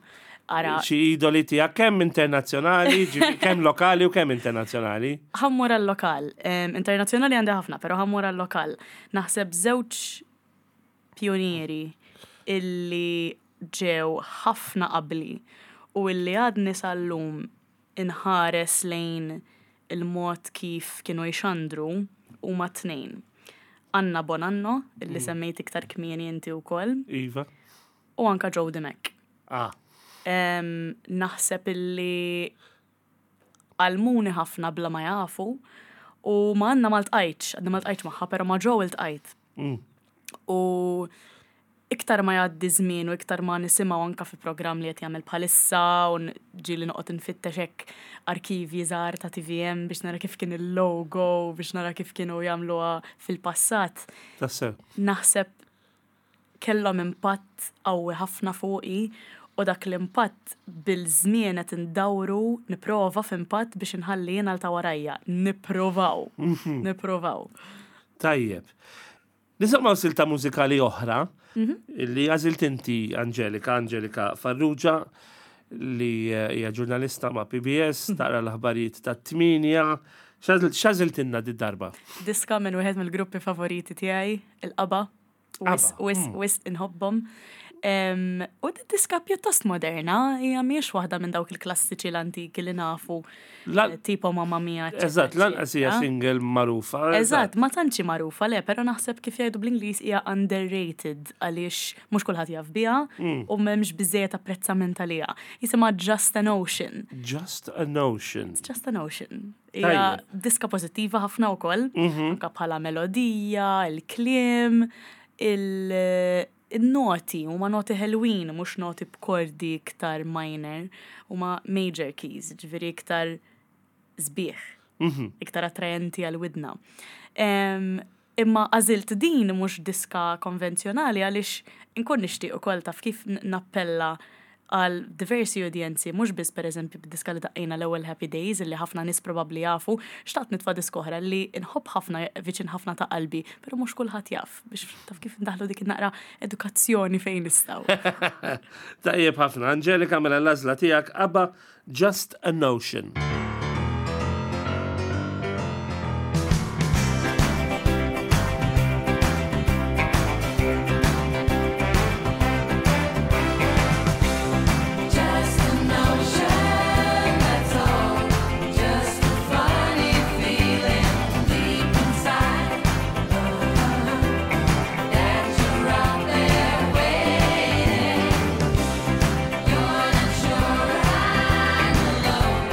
[SPEAKER 2] ara
[SPEAKER 1] xi idoli tiegħek kemm internazzjonali, ġifieri kemm lokali u kemm internazzjonali.
[SPEAKER 2] Ħa mmur għal-lokal. Em, Internazzjonali għandi ħafna, pero ħa mmur għal-lokal. Naħseb żewġ pionieri illi ġew ħafna qabli u illi għadni sal-lum inħares lejn il-mod kif kienu jxandru huma tnejn. Anna Bonanno, illi semmejt iktar kmieni inti wkoll,
[SPEAKER 1] Iva.
[SPEAKER 2] u anka Joe Dimech.
[SPEAKER 1] Ah,
[SPEAKER 2] Em, naħseb illi għallmuni ħafna bla ma jafu u ma għandna ma ltqajtx, għadna ma ltqajtx magħha, pero ma Joe iltqajt.
[SPEAKER 1] Mm.
[SPEAKER 2] U iktar ma jgħaddi żmien u iktar ma nisimgħu anka fi programm li qed jagħmel bħalissa u n- ġieli noqgħod infittex hekk arkivji żgħar ta' T V M biex nara kif kien il-logo, biex nara kif kienu jagħmluha fil-passat.
[SPEAKER 1] Tassew.
[SPEAKER 2] Naħseb kellhom impatt qawwi ħafna fuqi u dak l-impatt bil-żmien qed indawru nipprova f'impatt biex inħalli jiena l ta' warajja. Nipprovaw. Nipprovaw.
[SPEAKER 1] Tajjeb. Nisimgħu silta mużikali oħra li għażilt inti Angelika, Angelika Farrugia, li eh, hija ġurnalista ma' P B S, taqra l-aħbarijiet ta' tmienja. X'għażiltilna di darba?
[SPEAKER 2] Diska minn wieħed mill-gruppi favoriti tiegħi, il-ABBA. Wis,
[SPEAKER 1] ABBA,
[SPEAKER 2] wis, wis inħobbhom. Em, U di diska pjuttost moderna, hija mhijiex waħda minn dawk il-klassiċi l-antiki li nafu,
[SPEAKER 1] La-
[SPEAKER 2] eh, tipo Mamma Mia, eccetera,
[SPEAKER 1] Eżatt, lanqas hija
[SPEAKER 2] eccetera.
[SPEAKER 1] single magħrufa.
[SPEAKER 2] Eżatt, ma tantx hi magħrufa le, pero naħseb kif jgħidu bl-Ingliż hija underrated għaliex mhux kulħadd jaf biha u m'hemmx biżejjed apprezzament għaliha. Jisimha Just a Notion.
[SPEAKER 1] Just a Notion.
[SPEAKER 2] Just a Notion. Hija
[SPEAKER 1] Tajjeb.
[SPEAKER 2] diska pożittiva ħafna wkoll, anka bħala melodija, il-kliem, il- il-noti, huma noti ħelwin, mhux noti b'kordi iktar minor, huma major keys, ġifieri iktar sbieħ, iktar attrajenti għal-widna. Em, Imma għażilt din mhux diska konvenzjonali għaliex inkun nixtieq ukoll taf kif n- nappella għal diversi udjenzi, mhux biss pereżempju b'diska li daqqejna l-ewwel Happy Days illi ħafna nies probabbli jafu, xtaqt nitfa' diska oħra li nħobb ħafna viċin ħafna ta' qalbi, però mhux kulħadd jaf biex taf kif ndaħlu dik naqra edukazzjoni fejn nistgħu.
[SPEAKER 1] Tajjeb ħafna. Angelika, mela l-għażla tiegħek ABBA, Just a Notion.
[SPEAKER 4] Just a notion, that's all. Just a funny feeling deep inside that you're out there waiting. You're not sure I'm alone.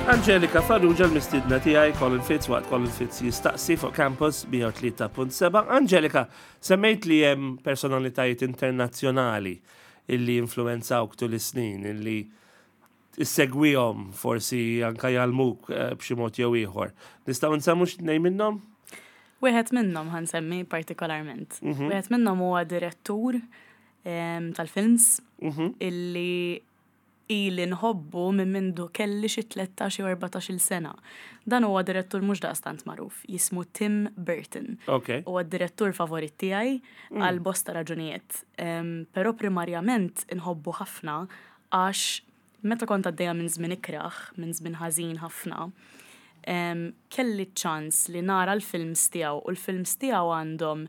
[SPEAKER 1] Angelika Farrugia l-mistidna tiegħi, Colin Fitz, waqt Colin Fitz Jistaqsi fuq Campus mija u tlieta punt seba'. Angelika, semmejt li hemm personalitajiet internazzjonali illi influenzawk tul is-snin, illi issegwihom, forsi anka jgħallmuk eh, b'xi mod jew ieħor. Nistgħu nsemmu xi tnejn minnhom?
[SPEAKER 2] Wieħed minnhom ħa nsemmi partikolarment. Wieħed minnhom huwa direttur em, tal-films illi ili nħobbu minn mindu kelli xi tlettax jew erbatax-il sena. Dan huwa direttur mhux daqstant magħruf, jismu Tim Burton.
[SPEAKER 1] Ok.
[SPEAKER 2] Huwa d-direttur favorit tiegħi għal bosta raġunijiet. Em, Però primarjament inħobbu ħafna għax meta kont għaddejja minn żmien ikraħ, minn żmien ħażin ħafna, em, kelli ċans li nara l-films tiegħu u l-films tiegħu għandhom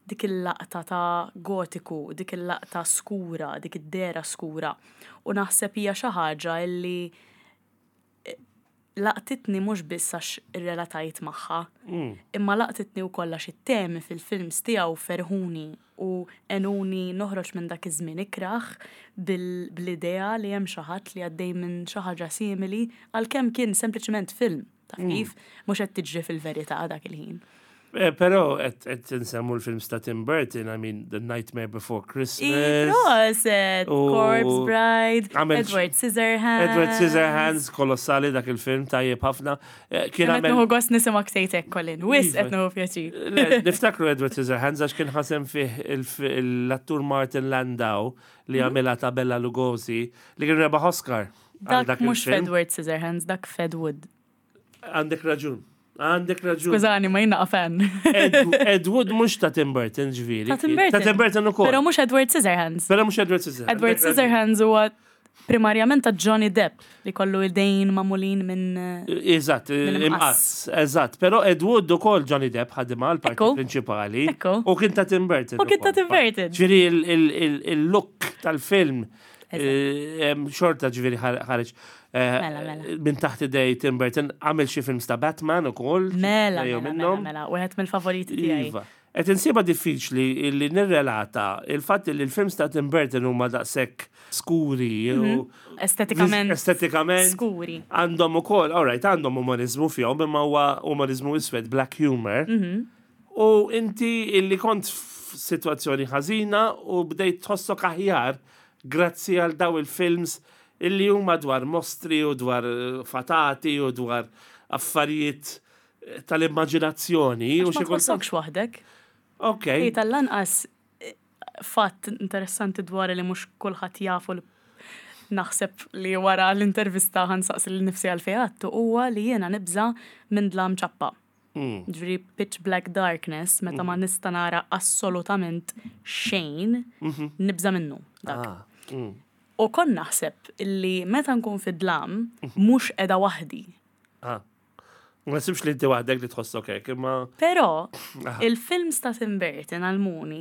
[SPEAKER 2] dik il-laqta ta' gotiku, dik il-laqta skura, dik id-dehra skura. U naħseb hija xi ħaġa illi eh, laqtitni mhux biss għax irrelatajt magħha, imma laqtitni wkoll għax it-temi fil-films tiegħu ferħuni u għenuni noħroġ minn dak iż-żmien ikraħ bil- bl-idea li hemm xi ħadd li għaddej minn xi ħaġa simili, għalkemm kien sempliċement film, taf kif, mhux qed tiġri fil-verità dak il-ħin.
[SPEAKER 1] Eh, Però qed qed nsemmu l-films ta' Tim Burton, I mean, The Nightmare Before Christmas.
[SPEAKER 2] Proset,
[SPEAKER 1] U-
[SPEAKER 2] Corpse Bride,
[SPEAKER 1] Għamel-
[SPEAKER 2] Edward Scissorhands.
[SPEAKER 1] Edward Scissorhands, kolossali dak il-film, tajjeb ħafna. Eh, Kien
[SPEAKER 2] Qed
[SPEAKER 1] għamel
[SPEAKER 2] nieħu gost nismgħek tgħid, Colin. Wisq
[SPEAKER 1] Iva.
[SPEAKER 2] qed nieħu pjaċir.
[SPEAKER 1] Le, niftakru Edward Scissorhands għax kien ħa sehem fih il- l-attur Martin Landau li
[SPEAKER 2] Mhm.
[SPEAKER 1] għamilha ta' Bela Lugosi li kien rebaħ Oscar għal
[SPEAKER 2] Dak mhux
[SPEAKER 1] il-film.
[SPEAKER 2] Edward Scissorhands, dak f'Ed Wood.
[SPEAKER 1] Għandek raġun. Għandek raġun.
[SPEAKER 2] Skużani, ma jiena fan.
[SPEAKER 1] Ed, Ed Wood mhux ta' Tim Burton, ġifieri.
[SPEAKER 2] Ta' Tim Burton.
[SPEAKER 1] Ta' Tim Burton ukoll.
[SPEAKER 2] Però mhux Edward Scissorhands.
[SPEAKER 1] Però mhux Edward Scissorhands.
[SPEAKER 2] Edward
[SPEAKER 1] Għandek raġun.
[SPEAKER 2] Scissorhands huwa primarjament ta' Johnny Depp li kollu idejn magħmulin minn eh,
[SPEAKER 1] Eżatt,
[SPEAKER 2] Minn
[SPEAKER 1] imqass, eżatt. Però Ed Wood ukoll Johnny Depp ħadimha l-parti
[SPEAKER 2] Ekku.
[SPEAKER 1] prinċipali.
[SPEAKER 2] Ekku.
[SPEAKER 1] U kien ta' Tim Burton.
[SPEAKER 2] U kien ta'
[SPEAKER 1] ukoll.
[SPEAKER 2] Tim Burton.
[SPEAKER 1] Ġifieri il- il- il- il-look tal-film eh, em, xorta ġifieri ħareġ eh,
[SPEAKER 2] Mela, mela.
[SPEAKER 1] minn taħt idej Tim Burton. Għamel xi films ta' Batman ukoll.
[SPEAKER 2] Mela,
[SPEAKER 1] jew
[SPEAKER 2] mela, mela,
[SPEAKER 1] minnhom.
[SPEAKER 2] mela, wieħed mill-favoriti tiegħi.
[SPEAKER 1] Iva. Qed insiba diffiċli li nirrelata il-fatt li l-films ta' Tim Burton huma daqshekk skuri u
[SPEAKER 2] Estetikament
[SPEAKER 1] estetikament
[SPEAKER 2] skuri.
[SPEAKER 1] għandhom ukoll, all right, għandhom umorizmu fihom, imma huwa umorizmu iswed, black humor.
[SPEAKER 2] Mhm.
[SPEAKER 1] U inti illi kont f'sitwazzjoni ħażina u bdejt tħossok aħjar grazzi għal daw il-films illi huma dwar mostri u dwar eh, fatati u dwar affarijiet eh, tal-immaġinazzjoni. U
[SPEAKER 2] Ma
[SPEAKER 1] xi kultant.
[SPEAKER 2] tħossokx waħdek.
[SPEAKER 1] Ok,
[SPEAKER 2] Ej, tal-lanqas eh, fatt interessanti dwar li mhux kulħadd jafu, li naħseb li wara l-intervista ħa nsaqsi lili nnifsi għalfejn, huwa li jiena nibża minn dlam ċappa.
[SPEAKER 1] Mm.
[SPEAKER 2] Ġifieri pitch black darkness, meta ma nista nara assolutament xejn, nibża minnu. Dak.
[SPEAKER 1] Ah, mm.
[SPEAKER 2] U kon naħseb li meta nkun fid-dlam, mhux qiegħda waħdi.
[SPEAKER 1] Ah. Ma sibx li inti waħdek li tħossok hekk, imma
[SPEAKER 2] Però il-films ta' Tim Burton għallmuni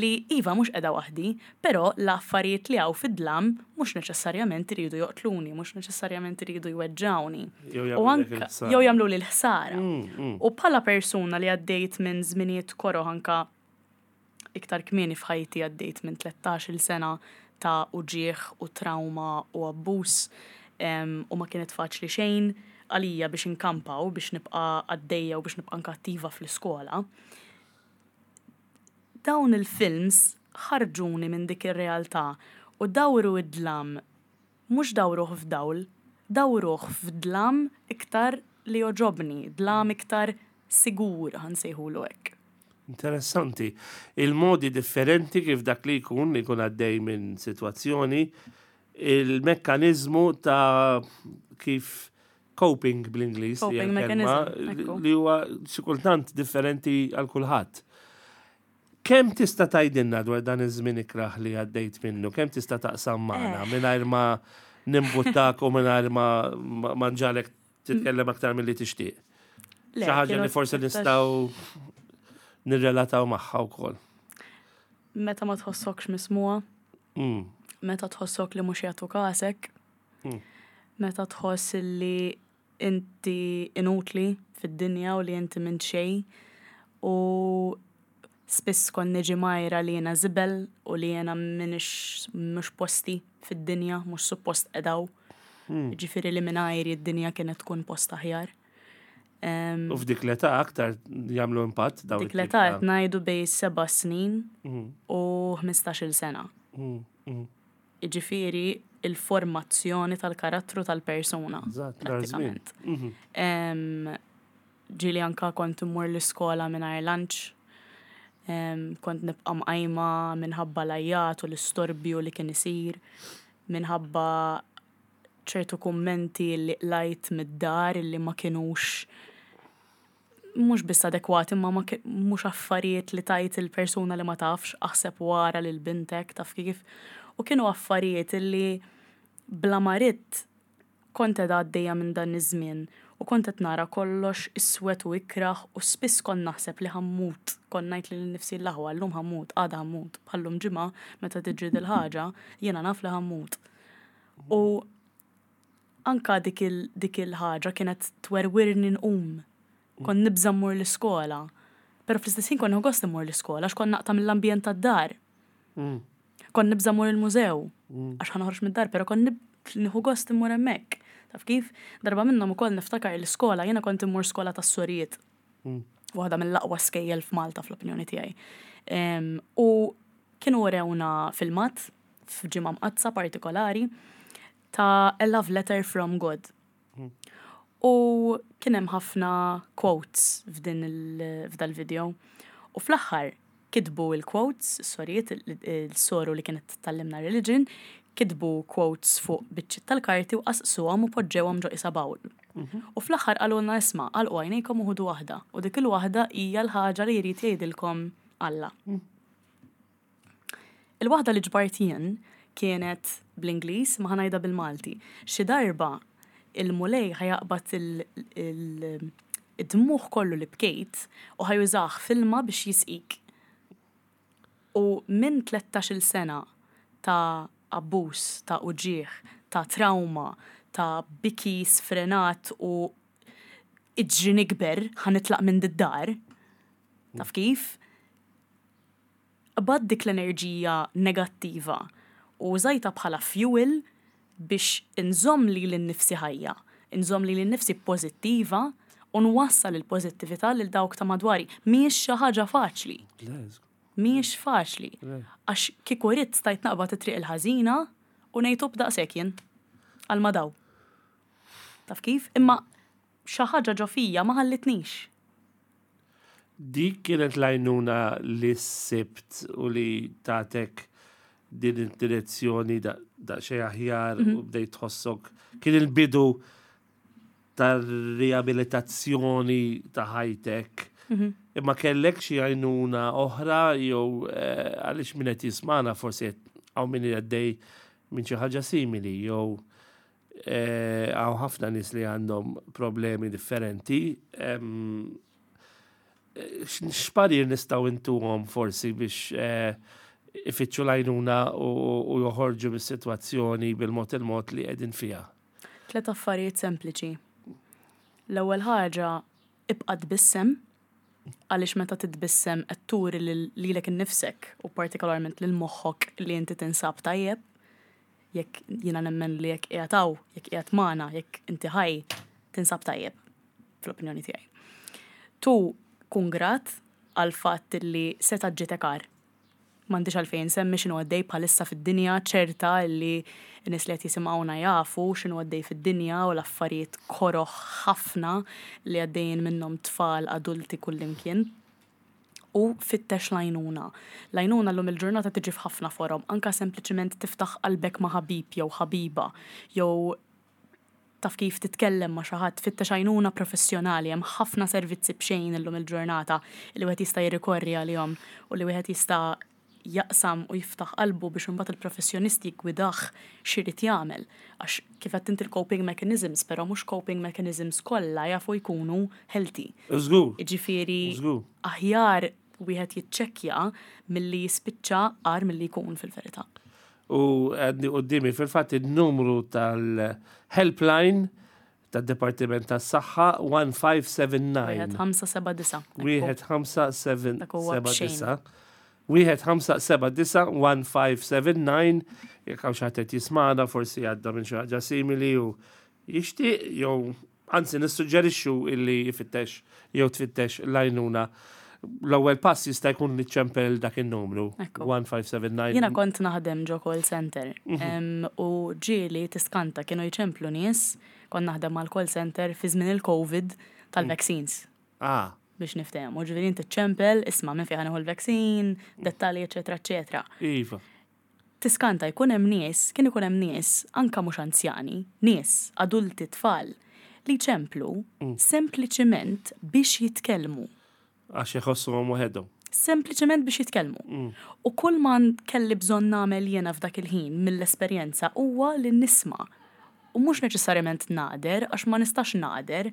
[SPEAKER 2] li iva, mhux qiegħda waħdi, però l-affarijiet li hawn fid-dlam mhux neċessarjament iridu joqtluni, mhux neċessarjament iridu jweġġawni.
[SPEAKER 1] Jew
[SPEAKER 2] U
[SPEAKER 1] jagħmlulek
[SPEAKER 2] anka
[SPEAKER 1] il-ħsara.
[SPEAKER 2] jew jagħmlu li l-ħsara.
[SPEAKER 1] Mm,
[SPEAKER 2] U bħala persuna li għaddejt minn żminijiet koroh anka iktar kmieni f'ħajti, għaddejt minn tlettax-il sena ta' uġieħ u trauma u abbuż em, u ma kienet faċli xejn għalija biex inkampa u biex nibqa għaddejja u biex nibqa anka attiva fl-iskola. Dawn il-films ħarġuni minn dik ir-realtà u dawru id-dlam, mhux dawruh f'dawl, dawruh f'dlam iktar li joġobni, dlam iktar sigur, ħa nsejħulu hekk.
[SPEAKER 1] Interessanti. Il-modi differenti kif dak li jkun li jkun għaddej minn situazzjoni, il-mekkanizmu ta' kif coping bl-Ingliż li hija
[SPEAKER 2] Coping
[SPEAKER 1] l-kelma,
[SPEAKER 2] mechanism, ekku.
[SPEAKER 1] li huwa xi kultant differenti għal kulħadd. Kemm tista' tgħidilna dwar dan iż-żmien ikraħ li għaddejt minnu? Kemm tista' taqsam magħna
[SPEAKER 2] Eh.
[SPEAKER 1] mingħajr ma nimbuttak u mingħajr ma ma ma nġagħlek titkellem aktar milli tixtieq?
[SPEAKER 2] Le,
[SPEAKER 1] Xi ħaġa
[SPEAKER 2] kienu
[SPEAKER 1] li forsi
[SPEAKER 2] tlettax-
[SPEAKER 1] nistgħu nirrelataw magħha wkoll.
[SPEAKER 2] Meta ma tħossokx mismugħa,
[SPEAKER 1] Mm.
[SPEAKER 2] meta tħossok li mhux jagħtu kasek,
[SPEAKER 1] Mm.
[SPEAKER 2] meta tħoss li inti inutli fid-dinja u li inti minn xejn u spiss kon niġi mgħajra li jena żibel u li jena minix mhux posti fid-dinja, mhux suppost edaw. Ġifieri li mingħajri id-dinja kienet tkun post aħjar. Em,
[SPEAKER 1] U f'dik l-età aktar jagħmlu impatt dawn
[SPEAKER 2] Dik
[SPEAKER 1] it-tip
[SPEAKER 2] l-età
[SPEAKER 1] ta'
[SPEAKER 2] qed ngħidu bejn seba' snin
[SPEAKER 1] Mm,
[SPEAKER 2] u ħmistax-il sena.
[SPEAKER 1] mm, mm.
[SPEAKER 2] Jiġifieri il-formazzjoni tal-karattru tal-persuna.
[SPEAKER 1] Eżatt, dar żmien.
[SPEAKER 2] Prattikament.
[SPEAKER 1] Mhm.
[SPEAKER 2] Em, Ġieli anka kont immur l-iskola mingħajr lunch. Em, Kont nibqa' mqajma minħabba l-għajat u l-istorbju li kien isir, minħabba ċertu kummenti li qlajt mid-dar li ma kienux mhux biss adekwati, ma ma ki- mhux affarijiet li tajt il-persuna li ma tafx, aħseb wara lil bintek, taf kif. U kienu affarijiet li bla ma ridt kont qed għaddejja minn dan iż-żmien u kont qed nara kollox iswed u ikraħ u spiss kont naħseb li ħa mmut, kont ngħid lil nifsi l-aħwa llum ħa mmut, għada ħa mmut, bħallum ġimgħa meta tiġri dil-ħaġa, jiena naf li ħa mmut. U anka dik il- dik il-ħaġa kienet twerwirni nqum. Kont nibża' mmur l-iskola. Però fl-istess ħin kont nieħu gost immur l-iskola għax kont naqta' mill-ambjent tad-dar.
[SPEAKER 1] Mm.
[SPEAKER 2] Kont nibża' mmur il-mużew għax ħa noħroġ mid-dar, però kont nib- nieħu gost immur hemmhekk. Taf kif? Darba minnhom ukoll niftakar l-iskola, jiena kont immur skola tas-sorijiet.
[SPEAKER 1] Mm.
[SPEAKER 2] Waħda mill-aqwa skejjel f'Malta fl-opinjoni tiegħi. Em, U kienu urewna filmat f'ġimgħa mqaddsa partikolari ta' A Love Letter from God. U kien hemm ħafna quotes f'din il- f'dal-video. U fl-aħħar kitbu il-quotes, sorijiet, il-soru li kienet tgħallimna religion, kitbu quotes fuq biċċiet tal-karti u qasqsuhom u poġġewhom ġo isa bowl. U fl-aħħar qalulna isma' għalqu għajnejkom u ħudu waħda. U dik il-waħda hija l-ħaġa li jrid jgħidilkom Alla. Il-waħda li ġbart jien kienet bl-Ingliż ma ħa ngħidha bil-Malti. Xi darba il-Mulej ħa jaqbad id-dmugħ kollu li bkejt u ħa jużah f'ilma biex jisqik. U minn tlettax-il sena ta' abbuż, ta' uġigħ, ta' trauma, ta' biki sfrenat u iġri nikber ħa nitlaq minn did-dar. Taf kif? Qbadt dik l-enerġija negattiva u użajtha bħala fuel biex inżomm lili nnifsi ħajja, inżomm lili nnifsi pozittiva u nwassal il-pozittività lil dawk ta' madwari. Mhijiex xi ħaġa faċli. Mhijiex faċli. Għax kieku ridt stajt naqbad it-triq il-ħażina u ngħid b'daqshekk jien għal ma daw. Taf kif? Imma xi ħaġa ġo fija ma ħallitnix.
[SPEAKER 1] Dik kienet l-għajnuna li sibt u li tatek din id-direzzjoni daqsxejn aħjar u bdejt tħossok. Kien il-bidu tar-riabilitazzjoni ta' ħajtek. Imma kellek xi għajnuna oħra jew eh, għaliex min qed jismagħna forsi hawn min għaddej minn xi ħaġa simili jew eh, hawn ħafna nies li għandhom problemi differenti. Em, X'parir nistgħu ntuhom forsi biex eh, ifittxu l-għajnuna u u joħorġu mis-sitwazzjoni bil-mod il-mod li qegħdin fiha?
[SPEAKER 2] Tlet affarijiet sempliċi. L-ewwel ħaġa, ibqa' tbissem, għaliex meta titbissem qed turi lil- lilek innifsek u partikolarment lil moħħok li inti tinsab tajjeb. Jekk jiena nemmen li jekk qiegħed hawn, jekk qiegħed magħna, jekk inti ħaj, tinsab tajjeb fl-opinjoni tiegħi. Tu kun grat għal fatt li seta' ġietek agħar. M'għandix għalfejn semmi x'inhu għaddej bħalissa fid-dinja, ċerta li n-nies li qed jisimgħuna jafu x'inhu għaddej fid-dinja u l-affarijiet koroħ ħafna li għaddejjin minnhom tfal, adulti kullimkien. U fittex l-għajnuna. L-għajnuna llum il-ġurnata tiġi f'ħafna forom, anka sempliċiment tiftaħ qalbek ma' ħabib jew ħabiba, jew taf kif titkellem ma' xi ħadd, fittex għajnuna professjonali, hemm ħafna servizzi b'xejn illum il-ġurnata li wieħed jista' jirrikorri għalihom u li wieħed jista' jaqsam u jiftaħ qalbu biex imbagħad il-professjonisti jgwidah x'irid jagħmel. Għax kif qed inti l-coping mechanisms, però mhux coping mechanisms kollha jafu jkunu healthy.
[SPEAKER 1] Żgur.
[SPEAKER 2] Jiġifieri
[SPEAKER 1] Żgur.
[SPEAKER 2] aħjar wieħed jiċċekkja milli jispiċċa agħar milli jkun fil-verità.
[SPEAKER 1] U għandi quddiemi fil-fatt il-numru tal-helpline tad-Dipartiment tas-Saħħa one five seven nine.
[SPEAKER 2] Wieħed ħamsa seba' disa.
[SPEAKER 1] Wieħed ħamsa
[SPEAKER 2] Dak huwa
[SPEAKER 1] seba'
[SPEAKER 2] b'xejn.
[SPEAKER 1] disa. Wieħed ħamsa seba' disa' one five seven nine, jekk hawn xi ħadd qed jismagħna, forsi għadda minn xi ħaġa simili u jixtieq, jew anzi nissuġġerixxu illi jfittex jew tfittex l-għajnuna. L-ewwel pass jista' jkun li ċempel dak in-numru
[SPEAKER 2] Ekku.
[SPEAKER 1] one five seven nine.
[SPEAKER 2] Jiena kont naħdem ġo call center em, u ġieli tiskanta kienu jċemplu nies, kont naħdem mal call center fi żmien il-Covid tal-vaccines
[SPEAKER 1] Ah,
[SPEAKER 2] biex niftehmu. Ġifieri inti ċempel, isma' minn fejn ħa nieħu l-vaccine, dettalji, eċetera, eċetera.
[SPEAKER 1] Iva.
[SPEAKER 2] Tiskanta jkun hemm nies, kien ikun hemm nies, anka mhux anzjani, nies, adulti, tfal, li ċemplu sempliċiment biex jitkellmu.
[SPEAKER 1] Għax jħossuhom waħedhom.
[SPEAKER 2] Sempliċement biex jitkellmu. U kull ma kelli bżonn nagħmel jiena f'dak il-ħin mill-esperjenza huwa li nisma'. U mhux neċessarjament nagħder, għax ma nistax nagħder,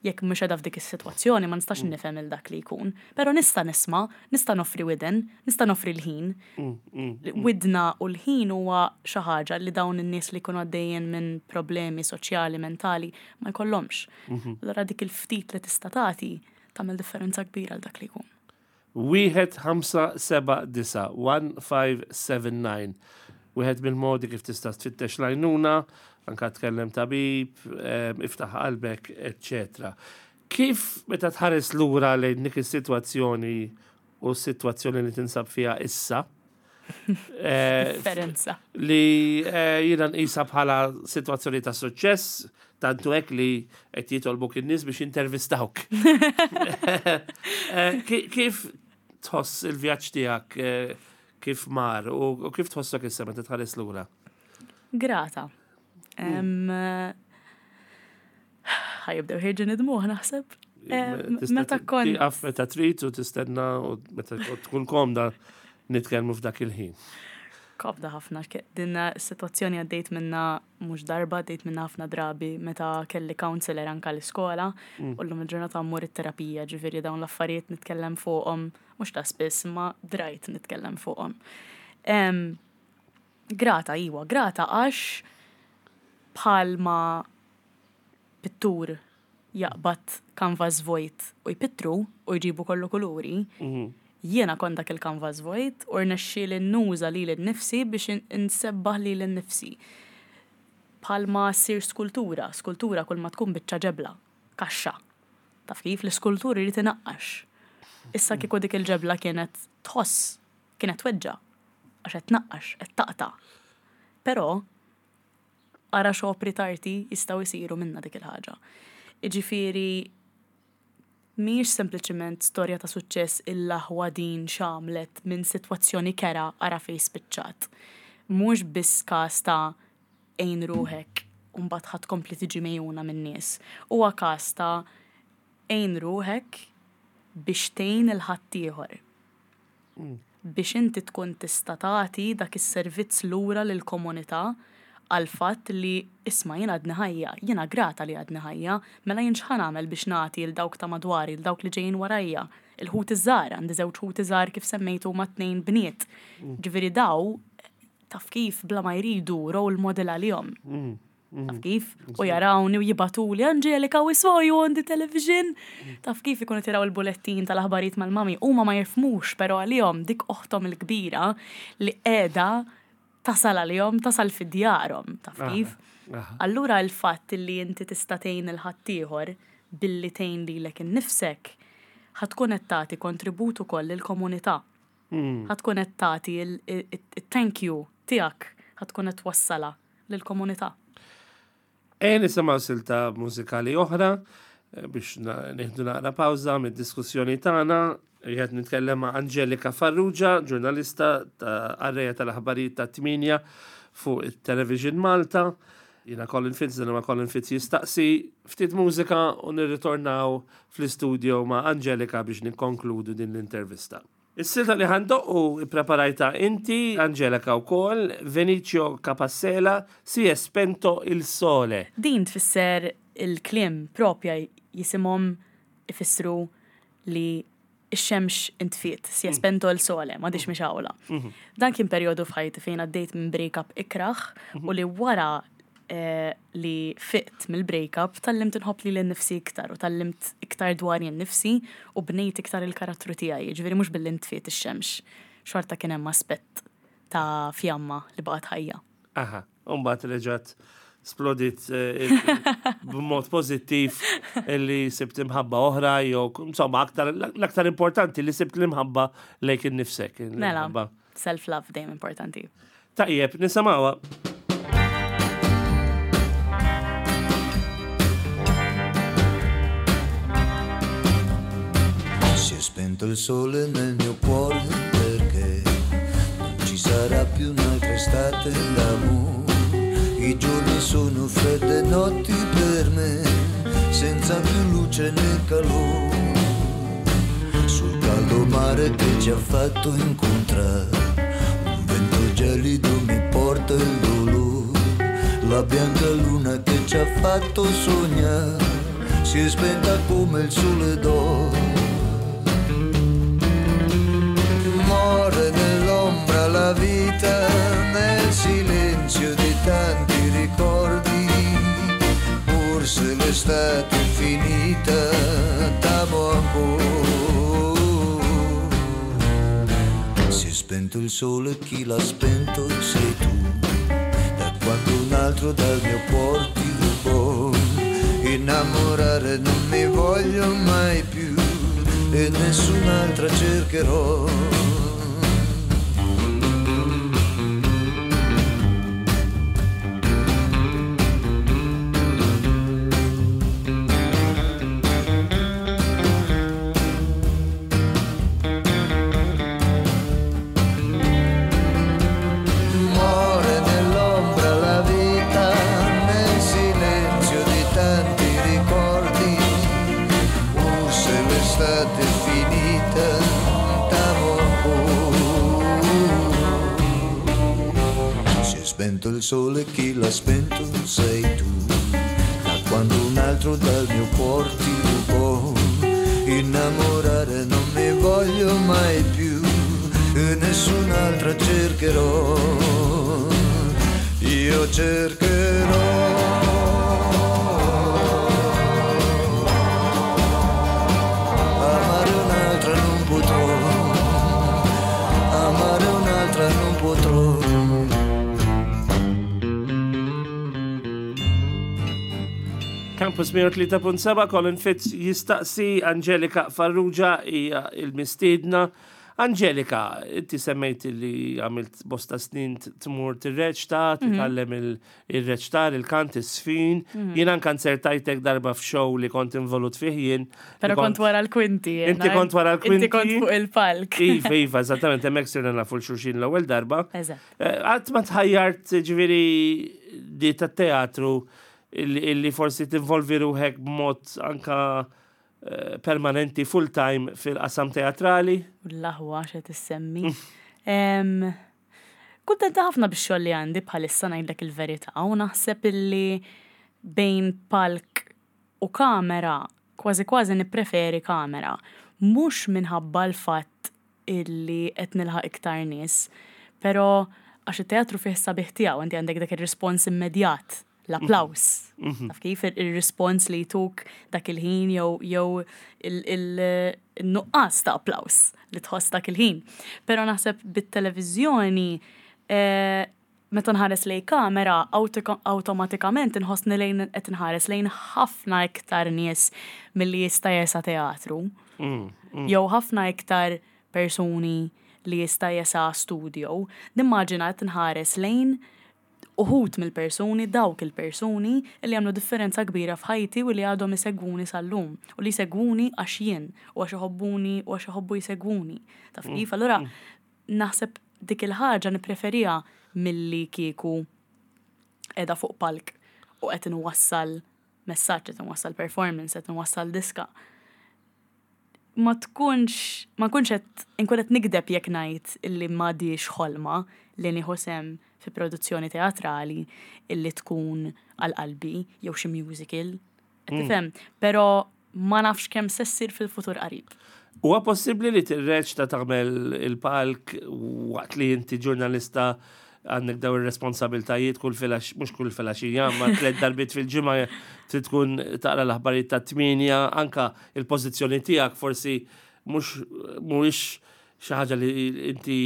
[SPEAKER 2] jekk mhux qiegħda f'dik is-sitwazzjoni ma nistax nifhem il dak li jkun. Però nista' nisma', nista' noffri widen, nista' noffri l-ħin. Widna u l-ħin huwa xi ħaġa li dawn in-nies li jkunu għaddejjin minn problemi soċjali, mentali ma jkollhomx. Allura dik il-ftit li tista' tagħti tagħmel differenza kbira għal dak li jkun.
[SPEAKER 1] Wieħed ħamsa seba' disa' one five seven nine. Wieħed mill-modi kif tista' tfittex l-għajnuna, anka tkellem tabib, em, iftaħ qalbek, eċċetera. Kif meta tħares lura lejn dik is-sitwazzjoni u s-sitwazzjoni li tinsab fiha issa, eh,
[SPEAKER 2] Differenza.
[SPEAKER 1] li eh, jiena nqisha bħala sitwazzjoni ta' suċċess, tantu hekk li qed jitolbuk in-nies biex intervistawk. Eh, ki- Kif tħoss il-vjaġġ tiegħek, eh, kif mar u u kif tħossok issa meta tħares lura?
[SPEAKER 2] Grata. Em, ħa jibdew ħerġin id-dmugħ naħseb. Em,
[SPEAKER 1] Tista'
[SPEAKER 2] Meta kont.
[SPEAKER 1] Tieqaf meta trid u tistenna u meta tkun komda nitkellmu f'dak il-ħin.
[SPEAKER 2] Komda ħafna. ke- Din is-sitwazzjoni għaddejt minna mhux darba, għaddejt minna ħafna drabi meta kelli counselor anka l-iskola u llum il-ġurnata mmur it-terapija, ġifieri dawn l-affarijiet nitkellem fuqhom, mhux ta' spiss, ma drajt nitkellem fuqhom. Em, Grata, iwa, grata għax bħalma pittur jaqbad canvas vojt u jpittru u jġibu kollu kuluri, jiena kont dak il-canvas vojt u rnexxieli nuża lili nnifsi biex in- insebbaħ lili nnifsi. Bħalma ssir skultura, skultura kull ma tkun biċċa ġebla, kaxxa. Taf kif l-iskultur irid inaqqax. Issa kieku dik il-ġebla kienet tħoss, kienet tweġġa, għax qed tnaqqax, qed taqta'. Però ara x'opri t'arti jistgħu jsiru minna dik il-ħaġa. Iġifieri mhijiex sempliċement storja ta' suċċess, il-aħwa din x'għamlet minn sitwazzjoni kerha, ara fejn spiċċat. Mhux biss każ ta' għin ruħek u mbagħad ħa tkompli tiġi megħjuna minn nies. Huwa każ ta' għin ruħek biex tgħin il-ħaddieħor. Biex inti tkun tista' tagħti dak is-servizz lura lill-komunità għal fatt li isma' jien għadni ħajja, jiena grata li għadni ħajja, mela jien x'ħa nagħmel biex nagħti 'l dawk ta' madwari, 'l dawk li ġejjin warajja? Il-ħuti żgħar, għandi żewġ ħuti żgħar kif semmejtu ma' tnejn bniet. Ġifieri daw taf kif bla ma jridu role model għalihom. Taf kif? U jarawni u jibagħtuli, "Angelika, we saw you on the television." Taf kif ikunu tiraw il-bulettin tal-aħbarijiet mal-mami. Huma ma jifhmux, pero għalihom dik oħtom il-kbira li qiegħda tasal għalihom, tasal fi djarhom. Taf kif?
[SPEAKER 1] Aha.
[SPEAKER 2] Allura il-fatt li inti tista' tgħin il-ħaddieħor billi tgħin lilek innifsek, ħa tkun qed tagħti kontribut ukoll lill-komunità. Ħa tkun qed tagħti il-thank you tiegħek, ħa tkun qed twassala lill-komunità.
[SPEAKER 1] E nisimgħu silta mużikali oħra eh, biex na- nieħdu naqra pawża mid-diskussjoni tagħna. Qiegħed nitkellem ma' Angelika Farrugia, ġurnalista ta' qarrejja tal-aħbarijiet ta' tmienja fuq it-Television Malta. Jiena Colin Fitz, dan ma' Colin Fitz jistaqsi. Ftit mużika u nirritornaw fl-istudio ma' Angelika biex nikkonkludu din l-intervista. Is-silta li ħa ndoqqu ippreparajtha inti, Angelika wkoll, Vinicio Capossela, "Si è spento il sole".
[SPEAKER 2] Din tfisser, il-kliem propja jisimhom ifissru li ix-xemx intfiet, "si è spento il sole", m'għadhiex mixgħula. Dan kien perjodu f'ħajti fejn għaddejt minn break-up ikraħ u li wara eh, li fiqt mill-break-up tgħallimt inħobb lili nnifsi iktar u tgħallimt iktar dwar jien nifsi u bnejt iktar il-karattru tiegħi, ġifieri mhux billi ntfiet ix-xemx. xorta kien hemm aspett ta' fjamma li baqgħet ħajja.
[SPEAKER 1] Aha, u mbagħad reġgħet splodit eh, b'mod pożittiv li sibt imħabba oħra jew insomma aktar l-aktar importanti li sibt l-imħabba lejk innifsek.
[SPEAKER 2] Mela,
[SPEAKER 1] l-imħabba.
[SPEAKER 2] Self-love dejjem importanti.
[SPEAKER 1] Tajjeb, nisimgħuha.
[SPEAKER 5] Si è spento il sole nel mio cuore perché non ci sarà più un'altra estate d'amore. I giorni sono fredde notti per me, senza più luce né calore. Sul caldo mare che ci ha fatto incontrare, un vento gelido mi porta il dolore. La bianca luna che ci ha fatto sognare si è spenta come il sole d'oro. Muore nell'ombra la vita, nel silenzio di tanti ricordi. Pur se l'estate è finita, t'amo ancora. Si è spento il sole, chi l'ha spento sei tu. Da quando un altro dal mio cuore ti rubò. Innamorare non mi voglio mai più e nessun'altra cercherò. Muore nell'ombra la vita, nel silenzio di tanti ricordi. Pur se l'estate è finita, t'amo ancora. Si è spento il sole, chi l'ha spento sei tu. Da quando un altro dal mio cuore ti rubò. Innamorare non mi voglio mai più e nessun'altra cercherò. Io cercherò. Amare un'altra non potrò. Amare un'altra non potrò.
[SPEAKER 1] Campus mija u tlieta punt seba', Colin Fitz jistaqsi. Angelika Farrugia hija il-mistiedna. Angelika, inti semmejt li għamilt bosta snin t- tmur tirreċta, titgħallem il- il-reċtar, il-kant, is-sfin. Jien anka nzertajtek darba f'show li kont involut fih jien.
[SPEAKER 2] Pero
[SPEAKER 1] Li
[SPEAKER 2] kont wara l-kwinti.
[SPEAKER 1] Inti
[SPEAKER 2] jiena.
[SPEAKER 1] kont wara l-kwinti?
[SPEAKER 2] Inti kont fuq il-palk.
[SPEAKER 1] Iva, iva, eżattament, hemmhekk sirna nafu 'l xulxin l-ewwel darba.
[SPEAKER 2] Eżatt.
[SPEAKER 1] Eh, Qatt ma tħajjart, ġifieri, di ta' teatru illi illi forsi tinvolvi ruħek b'mod anka eh, permanenti, full time fil-qasam teatrali?
[SPEAKER 2] L-aħwa xe tissemmi. Em, Kuntenta ħafna bix-xogħol li għandi bħalissa, ngħidlek il-verità, u naħseb illi bejn palk u kamera kważi kważi nippreferi kamera. Mhux minħabba l-fatt illi qed nilħaq iktar nies, però għax it-teatru fih sabiħ tiegħu, inti għandek dak ir-rispons immedjat, l-applaus. Taf kif il- il-rispons li jtuk dak il-ħin jew jew il-nuqqas ta' applaus li tħoss dak il-ħin. Però naħseb bit-televiżjoni eh, meta nħares lejn kamera auto- awtomatikament inħossni lejn qed nħares lejn ħafna iktar nies milli jista' jesa teatru. Jew ħafna iktar persuni li jista' jesa studio. Nimmaġina qed nħares lejn uħud mill-persuni, dawk il-persuni li għamlu differenza kbira f'ħajti u li għadhom isegwuni sal-lum. U li jsegwuni għax jien, u għax iħobbuni u għax iħobbu jsegwuni. Taf kif? Allura, naħseb dik il-ħaġa nippreferija milli kieku qiegħda fuq palk u qed inwassal messaġġ, qed inwassal performance, qed inwassal diska. Ma tkunx, ma nkunx qed inkun qed nigdeb jekk ngħid illi m'għadix ħolma li nieħu sehem fi produzzjoni teatrali illi tkun għal qalbi jew xi musical. Qed tifhem? Però ma nafx kemm se ssir fil-futur qarib.
[SPEAKER 1] Huwa possibbli li tirreċta, tagħmel il-palk, waqt li inti ġurnalista, għandek daw ir-responsabiltajiet kull filgħax, mhux kull filgħaxija, ma tliet darbiet fil-ġimgħa trid tkun taqra l-aħbarijiet ta' tmienja, anka il-pożizzjoni tiegħek forsi mhux mhuwiex xi ħaġa li inti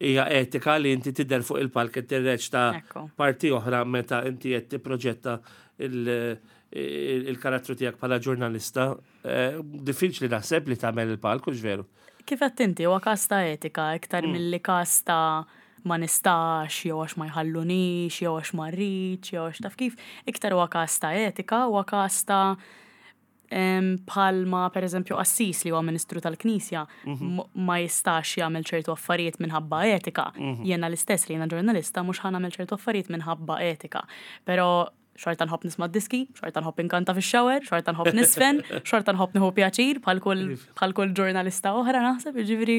[SPEAKER 1] hija etika li inti tidher fuq il-palk qed tirreċta
[SPEAKER 2] Ekku.
[SPEAKER 1] parti oħra meta inti qed tipproġetta il- il- il-karattru tiegħek bħala ġurnalista. Eh, Diffiċli naħseb li tagħmel il-palk, hux veru?
[SPEAKER 2] Kif qed inti, huwa każ ta' etika iktar milli każ ta' ma nistax, jew għax ma jħallunix, jew għax ma rridx, jew għax taf kif, iktar huwa każ ta' etika, huwa każ ta' em, bħalma per eżempju qassis li huwa ministru tal-Knisja m- ma jistax jagħmel ċertu affarijiet minħabba etika. Jiena l-istess li jiena ġurnalista mhux ħa nagħmel ċertu affarijiet minħabba etika. Però xorta nħobb nisma' diski, xorta nħobb inkanta fix-shower, xorta nħobb niżfen, xorta nħobb nieħu pjaċir bħal kull bħal kull ġurnalista oħra naħseb, jiġifieri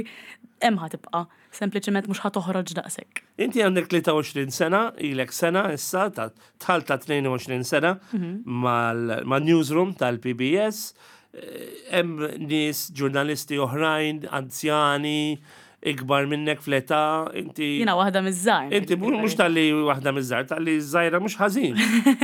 [SPEAKER 2] hemm ħa tibqa', sempliċement mhux ħa toħroġ daqshekk.
[SPEAKER 1] Inti għandek tlieta u għoxrin sena, ilek sena issa, ta' dħalt ta' tnejn u għoxrin sena mal-newsroom tal-P B S. Eh, Hemm nies ġurnalisti oħrajn, anzjani, ikbar minnek fl-età, inti.
[SPEAKER 2] Jiena waħda miż-żgħar.
[SPEAKER 1] Inti mhux talli waħda miż-żgħar, talli żgħira mhux ħażin.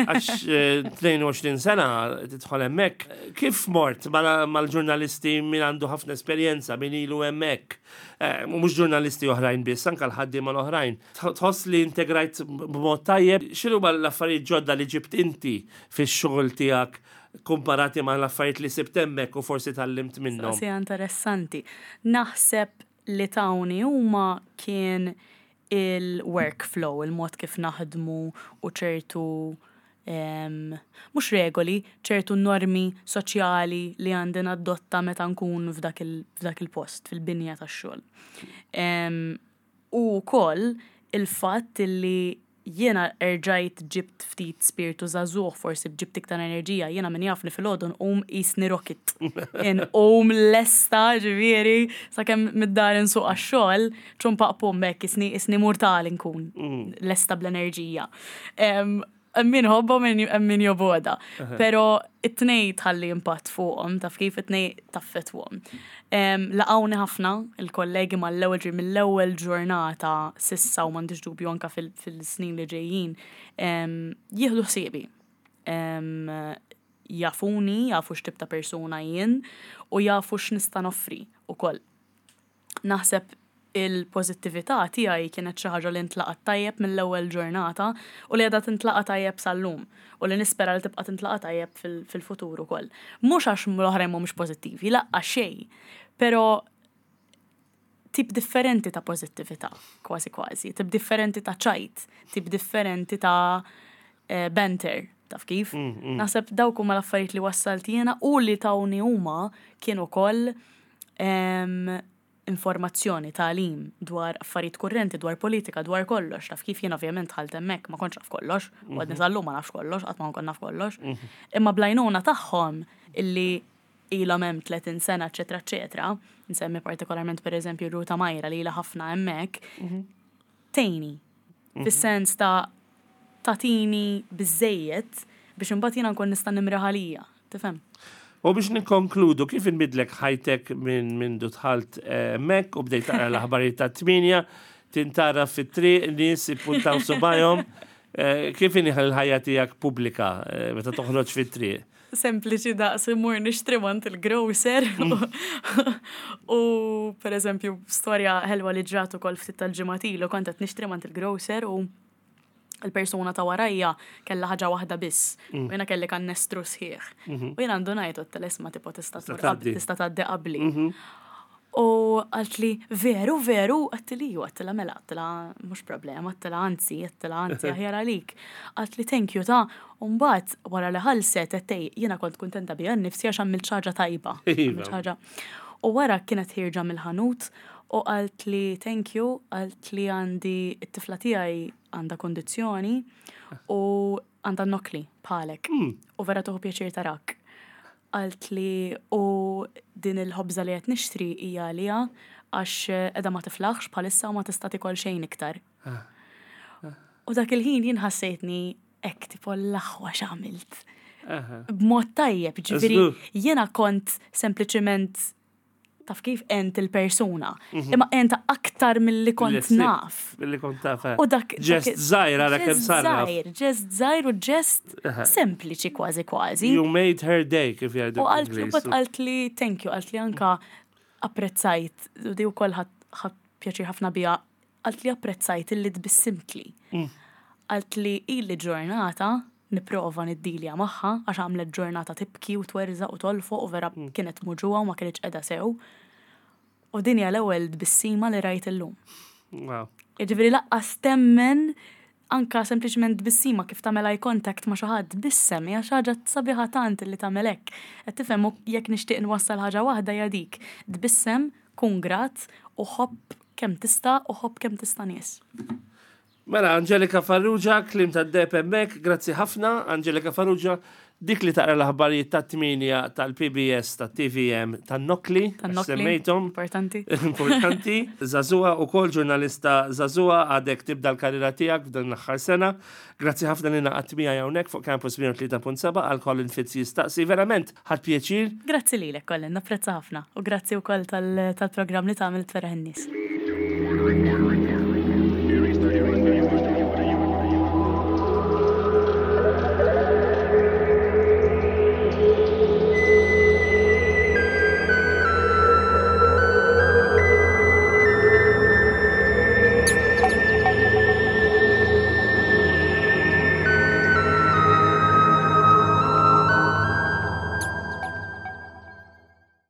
[SPEAKER 1] Għax eh, tnejn u għoxrin sena tidħol hemmhekk. Kif mort mal- mal-ġurnalisti min għandu ħafna esperjenza, min ilu hemmhekk? Eh, u mhux ġurnalisti oħrajn biss, anke l-ħaddiema l-oħrajn. Tħoss li integrajt b'mod tajjeb, x'inhu l-affarijiet ġodda li ġibt inti fix-xogħol tiegħek komparati ma' l-affarijiet li sibt hemmhekk u forsi tgħallimt minnhom?
[SPEAKER 2] Mistoqsija interessanti. Naħseb li tawni huma kien il-workflow, il-mod kif naħdmu u ċertu em, mhux regoli, ċertu normi soċjali li għandi nadotta meta nkun f'dak il- f'dak il-post, fil-binja tax-xogħol. Em, U wkoll il-fatt li jiena erġajt ġibt ftit spiritu żagħżugħ, forsi ġibt iktar enerġija, jiena min jafni filgħodu nqum qisni rocket. Inqum lesta, ġifieri, sakemm mid-dar insuq għax-xogħol, ċumpaq pum hekk qisni qisni mortali nkun lesta bl-enerġija. Em, Min iħobbha, min jobgħodha. Pero it-tnejn tħalli impatt fuqhom, taf kif, it-tnejn taffettwahom. Laqawni ħafna il-kollegi mal-ewwel ġir mill-ewwel ġurnata s'issa u m'għandix dubju anka fil- fil-snin li ġejjin em, jieħdu ħsiebi. Em, Jafuni, jafu x'tip ta' persuna jien u jafu x'nista' noffri ukoll. Naħseb il-pożittività tiegħi kienet xi ħaġa li ntlaqat tajjeb mill-ewwel ġurnata u li għadha tintlaqa tajjeb sal-lum u li nispera li tibqa' tintlaqa tajjeb fil- fil-futur ukoll. Mhux għax l-oħrajn mhumiex pożittivi, laqqa xejn, però tip differenti ta' pożittività, kważi kważi, tip differenti ta' ċajt, tip differenti ta' eh, banter, taf kif? Naħseb dawk huma l-affarijiet li wassalt jiena u li tawni huma kienu ukoll em, informazzjoni, tagħlim dwar affarijiet kurrenti, dwar politika, dwar kollox. Taf kif, jien ovvjament dħalt hemmhekk ma kontx naf kollox, u għadni sal-lum ma nafx kollox, qatt ma nkun naf kollox. Imma bl-għajnuna tagħhom illi ilhom hemm tletin sena, eċetera, eċetera, nsemmi partikolarment per eżempju Ruta Majra li ilha ħafna hemmhekk, tgħinni. Fis-sens ta' tatini biżejjed biex imbagħad jiena nkun nista' nimri ħalija. Tifhem?
[SPEAKER 1] U biex nikkonkludu, kif inbidlek ħajtek minn minn dħalt hemmhekk u bdejt taqra l-aħbarijiet ta' tmienja, tintara fit-triq, nies ippuntaw subajhom, eh, kif inhi l-ħajja tiegħek pubblika eh, meta toħroġ fit-triq?
[SPEAKER 2] Sempliċi daqs immur nixtri mingħand il-grocer. U per eżempju, storja ħelwa li ġrat ukoll ftit tal-ġimgħat ilu, kont qed nixtri mingħand il-grocer u il-persuna ta' warajja kella ħaġa waħda biss. U jiena kelli kannestru sħiħ. U jiena għandu ngħidu t-telesma tipo tista' tmur qab-
[SPEAKER 1] tgħaddi.
[SPEAKER 2] tista' tgħaddi qabli. U qaltli, "Veru, veru?" Għedtilha, "Ju," għedtilha, "mela," għedtilha, "mhux problema," għedtilha, "anzi," għedtilha, "anzi, aħjar għalik." Qaltli, "Thank you ta'." U mbagħad wara li ħallset għedtilha, jiena kont kontenta bija nnifsi għax għamilt xi ħaġa tajba.
[SPEAKER 1] Iva.
[SPEAKER 2] Għamilt xi ħaġa. U wara kienet ħierġa mill-ħanut u qaltli, "Thank you," qaltli, "għandi it-tifla tiegħi għandha kondizzjoni u għandha nokli bħalek. U vera tieħu pjaċir tarak." Qaltli, "u din il-ħobża li qed nixtri hija għalija għax qiegħda ma tiflaħx bħalissa u ma tista' tikol xejn iktar." U dak il-ħin jien ħassejtni hekk tipo l-aħwa x'għamilt. B'mod tajjeb, ġifieri
[SPEAKER 1] Żgur.
[SPEAKER 2] jiena kont sempliċement, taf kif, għent il-persuna. Imma għentha aktar milli kont
[SPEAKER 1] Li
[SPEAKER 2] naf.
[SPEAKER 1] Billi kont taf. eh.
[SPEAKER 2] U dak
[SPEAKER 1] Ġest
[SPEAKER 2] dak-
[SPEAKER 1] żgħir ara kemm
[SPEAKER 2] ġest
[SPEAKER 1] sarraf.
[SPEAKER 2] żgħir, ġest żgħir u ġest sempliċi kważi kważi.
[SPEAKER 1] You made her day, kif jgħidu
[SPEAKER 2] U qaltli,
[SPEAKER 1] bl-Ingliż.
[SPEAKER 2] but qaltli, "Thank you," qaltli anka Apprezzajt, u di wkoll ħadt pjaċir ħafna biha, għalt li apprezzajt illi tbissimtli. Għalt li ili ġurnata nipprova niddilja magħha għax għamlet ġurnata tibki u twerżaq u tolfoq u vera kienet muġugħa u ma kienx qiegħda sew. U din hija l-ewwel tbissima li rajt illum.
[SPEAKER 1] Wow.
[SPEAKER 2] Jiġifieri lanqas temmen, anka sempliċement tbissima, kif tagħmel eye contact ma' xi ħadd, tbissem, hija xi ħaġa sabiħa tant li tagħmel hekk. Qed tifhem? U jekk nixtieq nwassal ħaġa waħda, hija dik. Tbissem, kun grat u ħobb kemm tista' u ħobb kemm tista' nies.
[SPEAKER 1] Mela, Angelika Farrugia, kliem ta' D P M, grazzi ħafna. Angelika Farrugia, dik li taqra l-aħbarijiet ta' tmienja tal-P B S, tal-T V M, tan-Nokli,
[SPEAKER 2] Tan-Nokli.
[SPEAKER 1] Semmejtom.
[SPEAKER 2] Importanti.
[SPEAKER 1] Importanti. Żagħżugħa u kol ġurnalista żagħżugħa, għadek tibda l-karriera tiegħek f'dan l-aħħar sena. Grazzi ħafna li ngħaqadt miegħi hawnhekk fuq Campus mija u tlieta punt seba' għal Colin Fitz Jistaqsi. Verament, ħadt pjaċir.
[SPEAKER 2] Grazzi lilek, Colin, napprezza ħafna. U grazzi wkoll tal- tal-programm li tagħmel tferraħ in-nies.